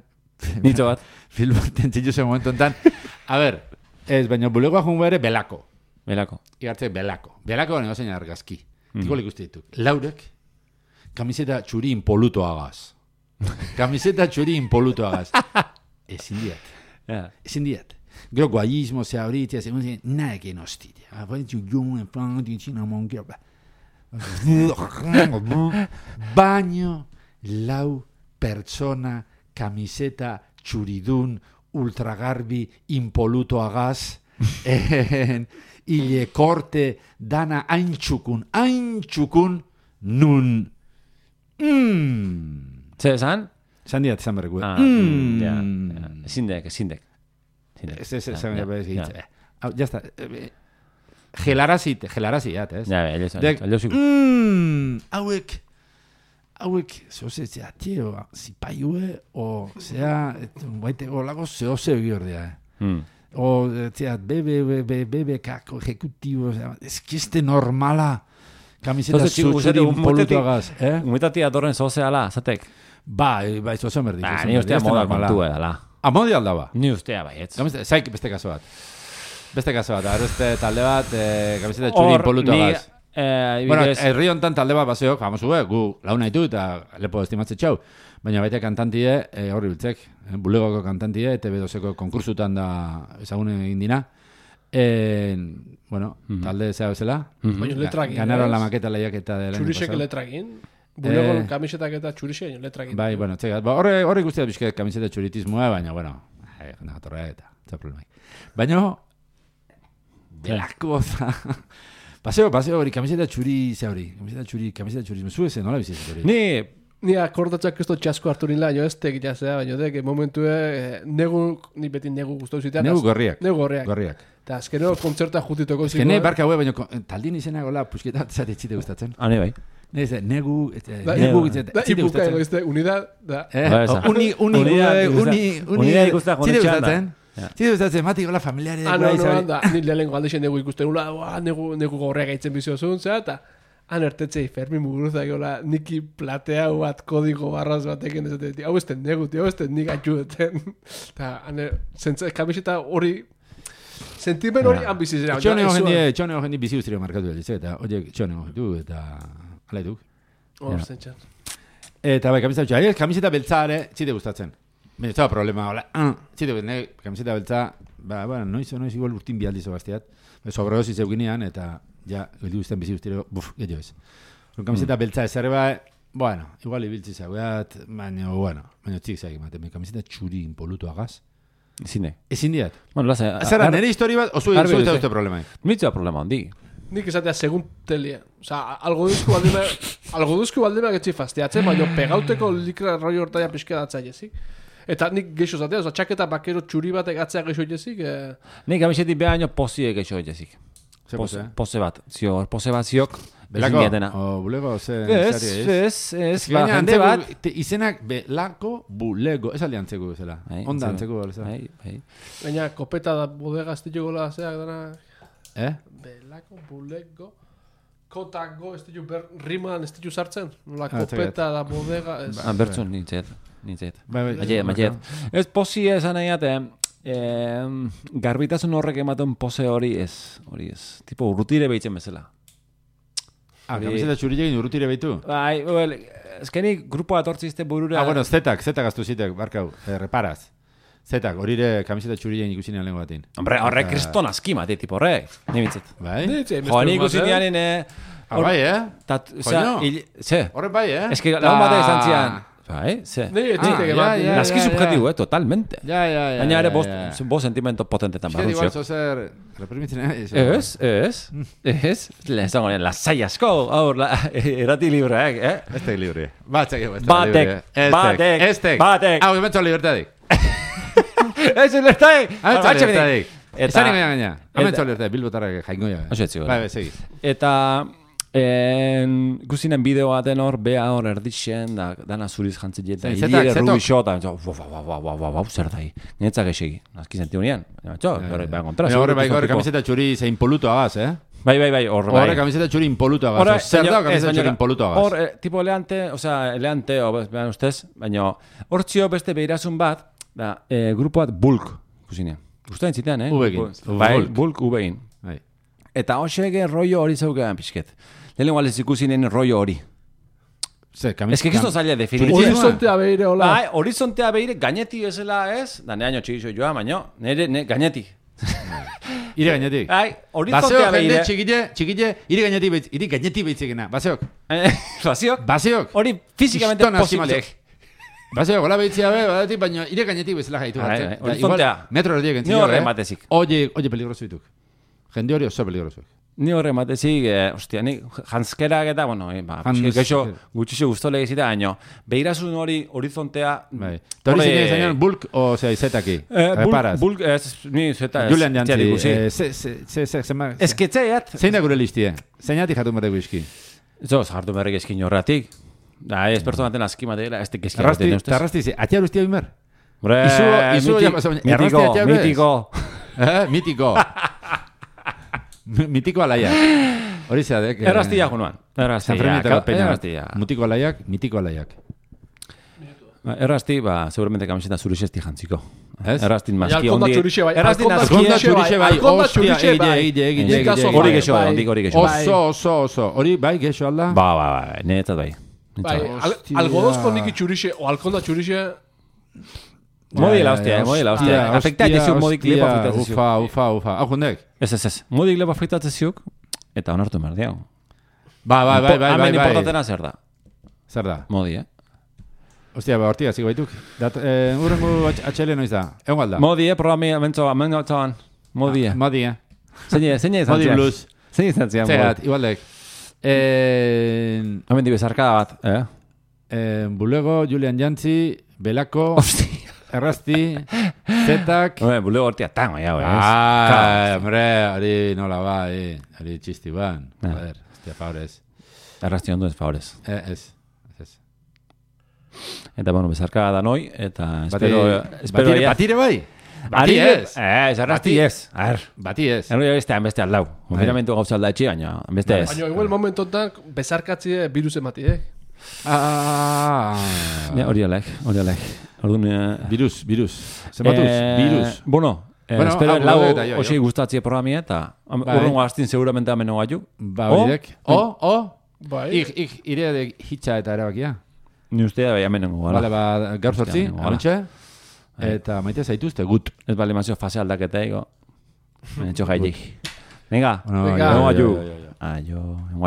Nitzo bat. Filmo, tentzillu zen momentu enten. A ber, ez, baina bulegoa jungo ere belako. Belako. Igartze belako. Belako gane gozein argazki. Mm. Tiko ikuste dituk. Laurek, kamiseta txuri impoluto agaz. Kamiseta txuri impoluto agaz. Ezin diat. Ja. Ezin diat. Gero guayismo, zea horitzea, segun zen, nahekin hostitia. Aparitzu joan, en plan, tintzina monkea. Baino, lau pertsona, kamiseta txuridun, ultragarbi, impoluto agaz, en, ile korte, dana haintxukun, haintxukun, nun. Mm. Ze esan? Zan diat, zan berreku. Ah, Mm. ja, ja. Ezindek, ezindek. Ezindek. Ez, ez, ez, Ja, ez, ja, ez, ja. ez, Hau, ya está. Eh, Gelarazi, gelarazi, ya, ez? Ja, elio Dek, elio mm, hauek, hauek, zoze, zea, tio, zipaiue, o, zea, baite, olako zeo zeo giordea, eh? Mm. O, zea, bebe, bebe, bebe, kako, ejecutivo, zea, ez kiste normala, kamiseta Zoze, txiku, zutxuri guzeti, impolutuagaz, eh? Umetati atorren zozeala, zatek. Bai, bai, zoze merdik. Ba, zoze ni merdik, ustea ez da moda normala. kontu edala. Amodi aldaba. Ni ustea baietz. Kamiseta, zaik beste kaso bat. Beste kaso bat, arreste talde bat, eh, kamiseta txuri Hor, impolutuagaz. ni, eh, Bueno, ibidez, herri hontan talde bat baseok, famosu, eh, gu launa ditu eta lepo estimatze txau. Baina baita kantantie, eh, horri biltzek, eh, bulegoko kantantie, T V doseko konkursutan da ezagun egin dina. Eh, bueno, Mhm. talde zea bezala. Mhm. Baina letrak Ganaron ez? la maqueta lehiaketa del año Txurisek pasado. letrekin. Bulego Eh. kamisetak eta txurisek letrekin. Bai, bueno, txegat. Ba, horre, horre guztiak bizket kamiseta txuritismoa, baina, bueno, eh, natorra eta, ez problemai. Baina, belako, paseo, paseo hori, kamiseta txuri, ze hori, kamiseta txuri, kamiseta txurismo, zu ezen, nola bizitzen hori? ni, Ni akordatzak ez dut txasko hartu nila, jo ez tek jazea, baina dek, momentu eh, negu, ni beti negu guztau zitean. Negu az- gorriak. Negu gorriak. Gorriak. Eta azkeno kontzerta jutitoko Ez que ne, barka hue, baina ko- taldin izena gola, pusketa, zate etxite gustatzen. ane bai. Ne, ez, negu, ez, Da, negu, negu. ez, Da, etxite ibuka gustatzen. egoizte, unidad, da. Eh, Ba, esa. uni, uni, Unidad uni, ikusta- uni, uni, unidad ikusta zide joan gustatzen. Ja. Zide gustatzen, mati gola familiare. Ah, no, guai, no, zabe- anda, ni lehenengo aldexen negu ikusten nula, ua, negu, negu gorreak aitzen biziozun, zera, eta han ertetzei Fermi Muguruzak gola niki plateau bat kodigo barraz batekin ez dut. Hau esten negu, hau esten nik atxudeten. Eta, kamiseta hori sentimen hori ambizizera. Txone hori txone hori bizi ustrio markatu dut, eta horiek txone hori du, eta ala eduk. Hor, zentxan. Eta bai, kamiseta betxa, kamiseta beltzare, txite gustatzen. Baina, ez da problema, hola, txite gustatzen, kamiseta beltza, ba, bueno, noiz, noiz igual urtin bialdi zoazteat, sobredosi zeuginean, eta ja, geldi guztien bizi ustrio, buf, gehiago ez. Kamiseta beltza ezarre ba, bueno, igual ibiltzi zaugat, baina, bueno, baina txik zaik ematen, kamiseta txuri impolutu agaz. Ezin de. Ezin diat. Bueno, laza. Zara, nire histori bat, osu egin zuetan dute problema. Mitzua problema handi. Nik esatea segun telia. Osa, algo duzku baldima, algo duzku baldima getxi fastiatzen, baina pegauteko likra roi hortaia pixka datza jezik. Eta nik geixo zatea, oza, txaketa bakero txuri batek atzea geixo jezik. Eh... Nik kamisetik behaino pozie geixo jezik. Pose, pose bat, zio, pose bat ziok. Belako, o bulego, ze... Ez, ez, ez, ba, jende bat. Izenak belako bulego, ez aldi antzeko bezala. Onda antzeko bezala. Baina, kopeta da bodega estillo gola zeak dana... Eh? Belako bulego... Kotango estillo ber... Riman estillo sartzen. La kopeta da bodega... Bertzun, nintzet, nintzet. Maiet, maiet. Ez posi esan nahiate... Eh, garbitasun horrek ematen pose hori ez, hori ez. Tipo urrutire behitzen bezala. Ah, kamiseta txurilekin urrutire behitu? Bai, well, ezkeni grupoa atortzizte burura... Ah, bueno, zetak, zetak aztu zitek, barkau, eh, reparaz. Zetak, horire kamiseta txurilekin ikusinean lehen batin. Hombre, horrek kriston aski mati, tipo horrek. Nibitzet. Bai? Jo, ni ikusinean, eh... Ah, bai, eh? Joño? Ze? Horrek bai, eh? Ez que lagun batek izan zian... Bai, ze. Naski subjetivo, eh, totalmente. Ja, ja, ja. Baina ere bo sentimento potentetan barrun ziok. Igual zozer reprimitzen ez. Ez, ez, ez. Lehenzango, lasai asko, aur, erati libreak, eh? Estek libre. Batzak, batek, batek, estek. Batek. Hau, ementzo libertadik. Ez, libertadik. Ementzo libertadik. Ezan ingoia gaina. Ementzo libertadik, bilbotarrak jaingoia. Oso etzi. Bai, segi. Eta... En guzinen bideo baten hor, bea hor erdixen, da, dana zuriz jantzit jeta, hiri errubi xota, zer da hi, netzak esegi, nazki senti honean, horrek behan kontra. Horre bai, horre kamiseta txuri ze impoluto agaz, eh? Bai, bai, bai, horre bai. Horre kamiseta txuri impoluto agaz, zer da kamiseta txuri impoluto agaz? Hor, tipo eleante, osea, eleante, behan ustez, baina hor txio beste behirazun bat, da, grupo bat bulk, guzinean. Guztain zitean, eh? Ubegin. Bai, bulk ubegin. Eta hoxege rollo hori zaukean pixket. Lehen igual ez ikusinen rollo hori. Ez que kisto zaila definitzen. Horizontea behire, hola. Bai, horizontea behire, gaineti ezela ez, da neaino txigizo joa, baino, nire, ne, gaineti. Ire gainetik. Bai, horizontea behire. Baseok, txikile, txikile, ire gaineti behitz, ire gaineti behitzekena. Baseok. Baseok? Baseok. Hori fizikamente posible. Baseok, hola behitzia be, badatik, baina ire gainetik bezala gaitu. Horizontea. Metro erdiek entzio. Ni horre matezik. Oye, oye, peligroso dituk. Jende hori oso peligroso. Ni horre matezik, eh, ostia, ni janskerak eta, bueno, eh, ba, geixo gutxixo guztole egizita, baino, behirazun hori horizontea... Bai. Eta hori zine zainan, bulk o zea izetaki? Reparaz? Bulk, ez, ni zeta... Julian Jantzi, ze, ze, ze, ze, zema... Ez ketzeiat... Zein da gure listie? Zeinati jatu marreko izki? Zo, jartu marreko izkin horretik. Da, ez pertsonaten azki mateela, ez tekizki. Arrasti, eta arrasti, atia guztia bimer? Bre, mitiko, mitiko. Mitiko. Mitiko alaiak. Hori zeadek. Erraztia, Junuan. Erraztia. Mutiko alaiak, mitiko alaiak. Errazti, ba, seguramente kamiseta zurixesti jantziko. Ez? Erraztin maski ondi. Erraztin Alkonda txurixe bai. Ostia, eide, eide, eide, eide. Hori gexo, ondik hori gexo. Oso, oso, oso. Hori bai, gexo alda? Ba, ba, ba, netzat bai. Bai, algodozko niki txurixe, o alkonda txurixe... Modi la hostia, modi la hostia. Afekta jesu modik lepa fritatzezuk. Ufa, ufa, ufa. Hau jundek? Ez, ez, ez. Modik lepa fritatzezuk, eta onartu merdiago. Ba, bai, bai, bai, bai. Hemen importatena zer da. Zer da? Modi, eh? Hostia, ba, hortiga, zigo baituk. Urrengu atxele noiz da. Egon galda. Modi, eh, programi, amentzo, amentzo, amentzoan. Modi, eh. Modi, eh. Zein izan zian. Modi blues. Zein izan zian. Zerat, igualdek. Hemen dibe zarkada bat, eh? Bulego, Julian Jantzi, Belako... Hostia. Errazti, zetak... Hombre, bulego hortia tango, ya, güey. Ah, hombre, hori nola ba, hori txisti ban. Joder, hostia, favorez. Errazti ondo ez favorez. Eh, ez, ez. Eta, bueno, bezarka da noi, eta espero... Batire, batire bai? Bati ez. Eh, zarrasti Bati- ez. A ver. Bati ez. Erro bestean beste aldau. Konfinamentu gauza alda etxi, baina beste ez. Baina igual momentu honetan bezarkatzie virus emati, eh? Ah, Ja, hori alek, hori alek. Orduan, eh, virus, virus. Zenbatuz, eh, virus. Bueno, eh, Bueno, espero hau, lau hau, eta jo, osi jo. gustatzie programia eta Bai. urrungo astin seguramente ameno gaitu. Ba, O? horidek. O, o. Bai. Ik, ik, ire de hitza eta erabakia. Ni ustea bai amenengo Bale, gara. ba, gaur sortzi, Hostia, halontxe. Eta maite zaituzte, gut. Ez bale mazio fase aldaketa ego. Etxo jaitik. Venga, Bueno, Venga. jo, jo, aio. jo, jo, jo. Aio, aio.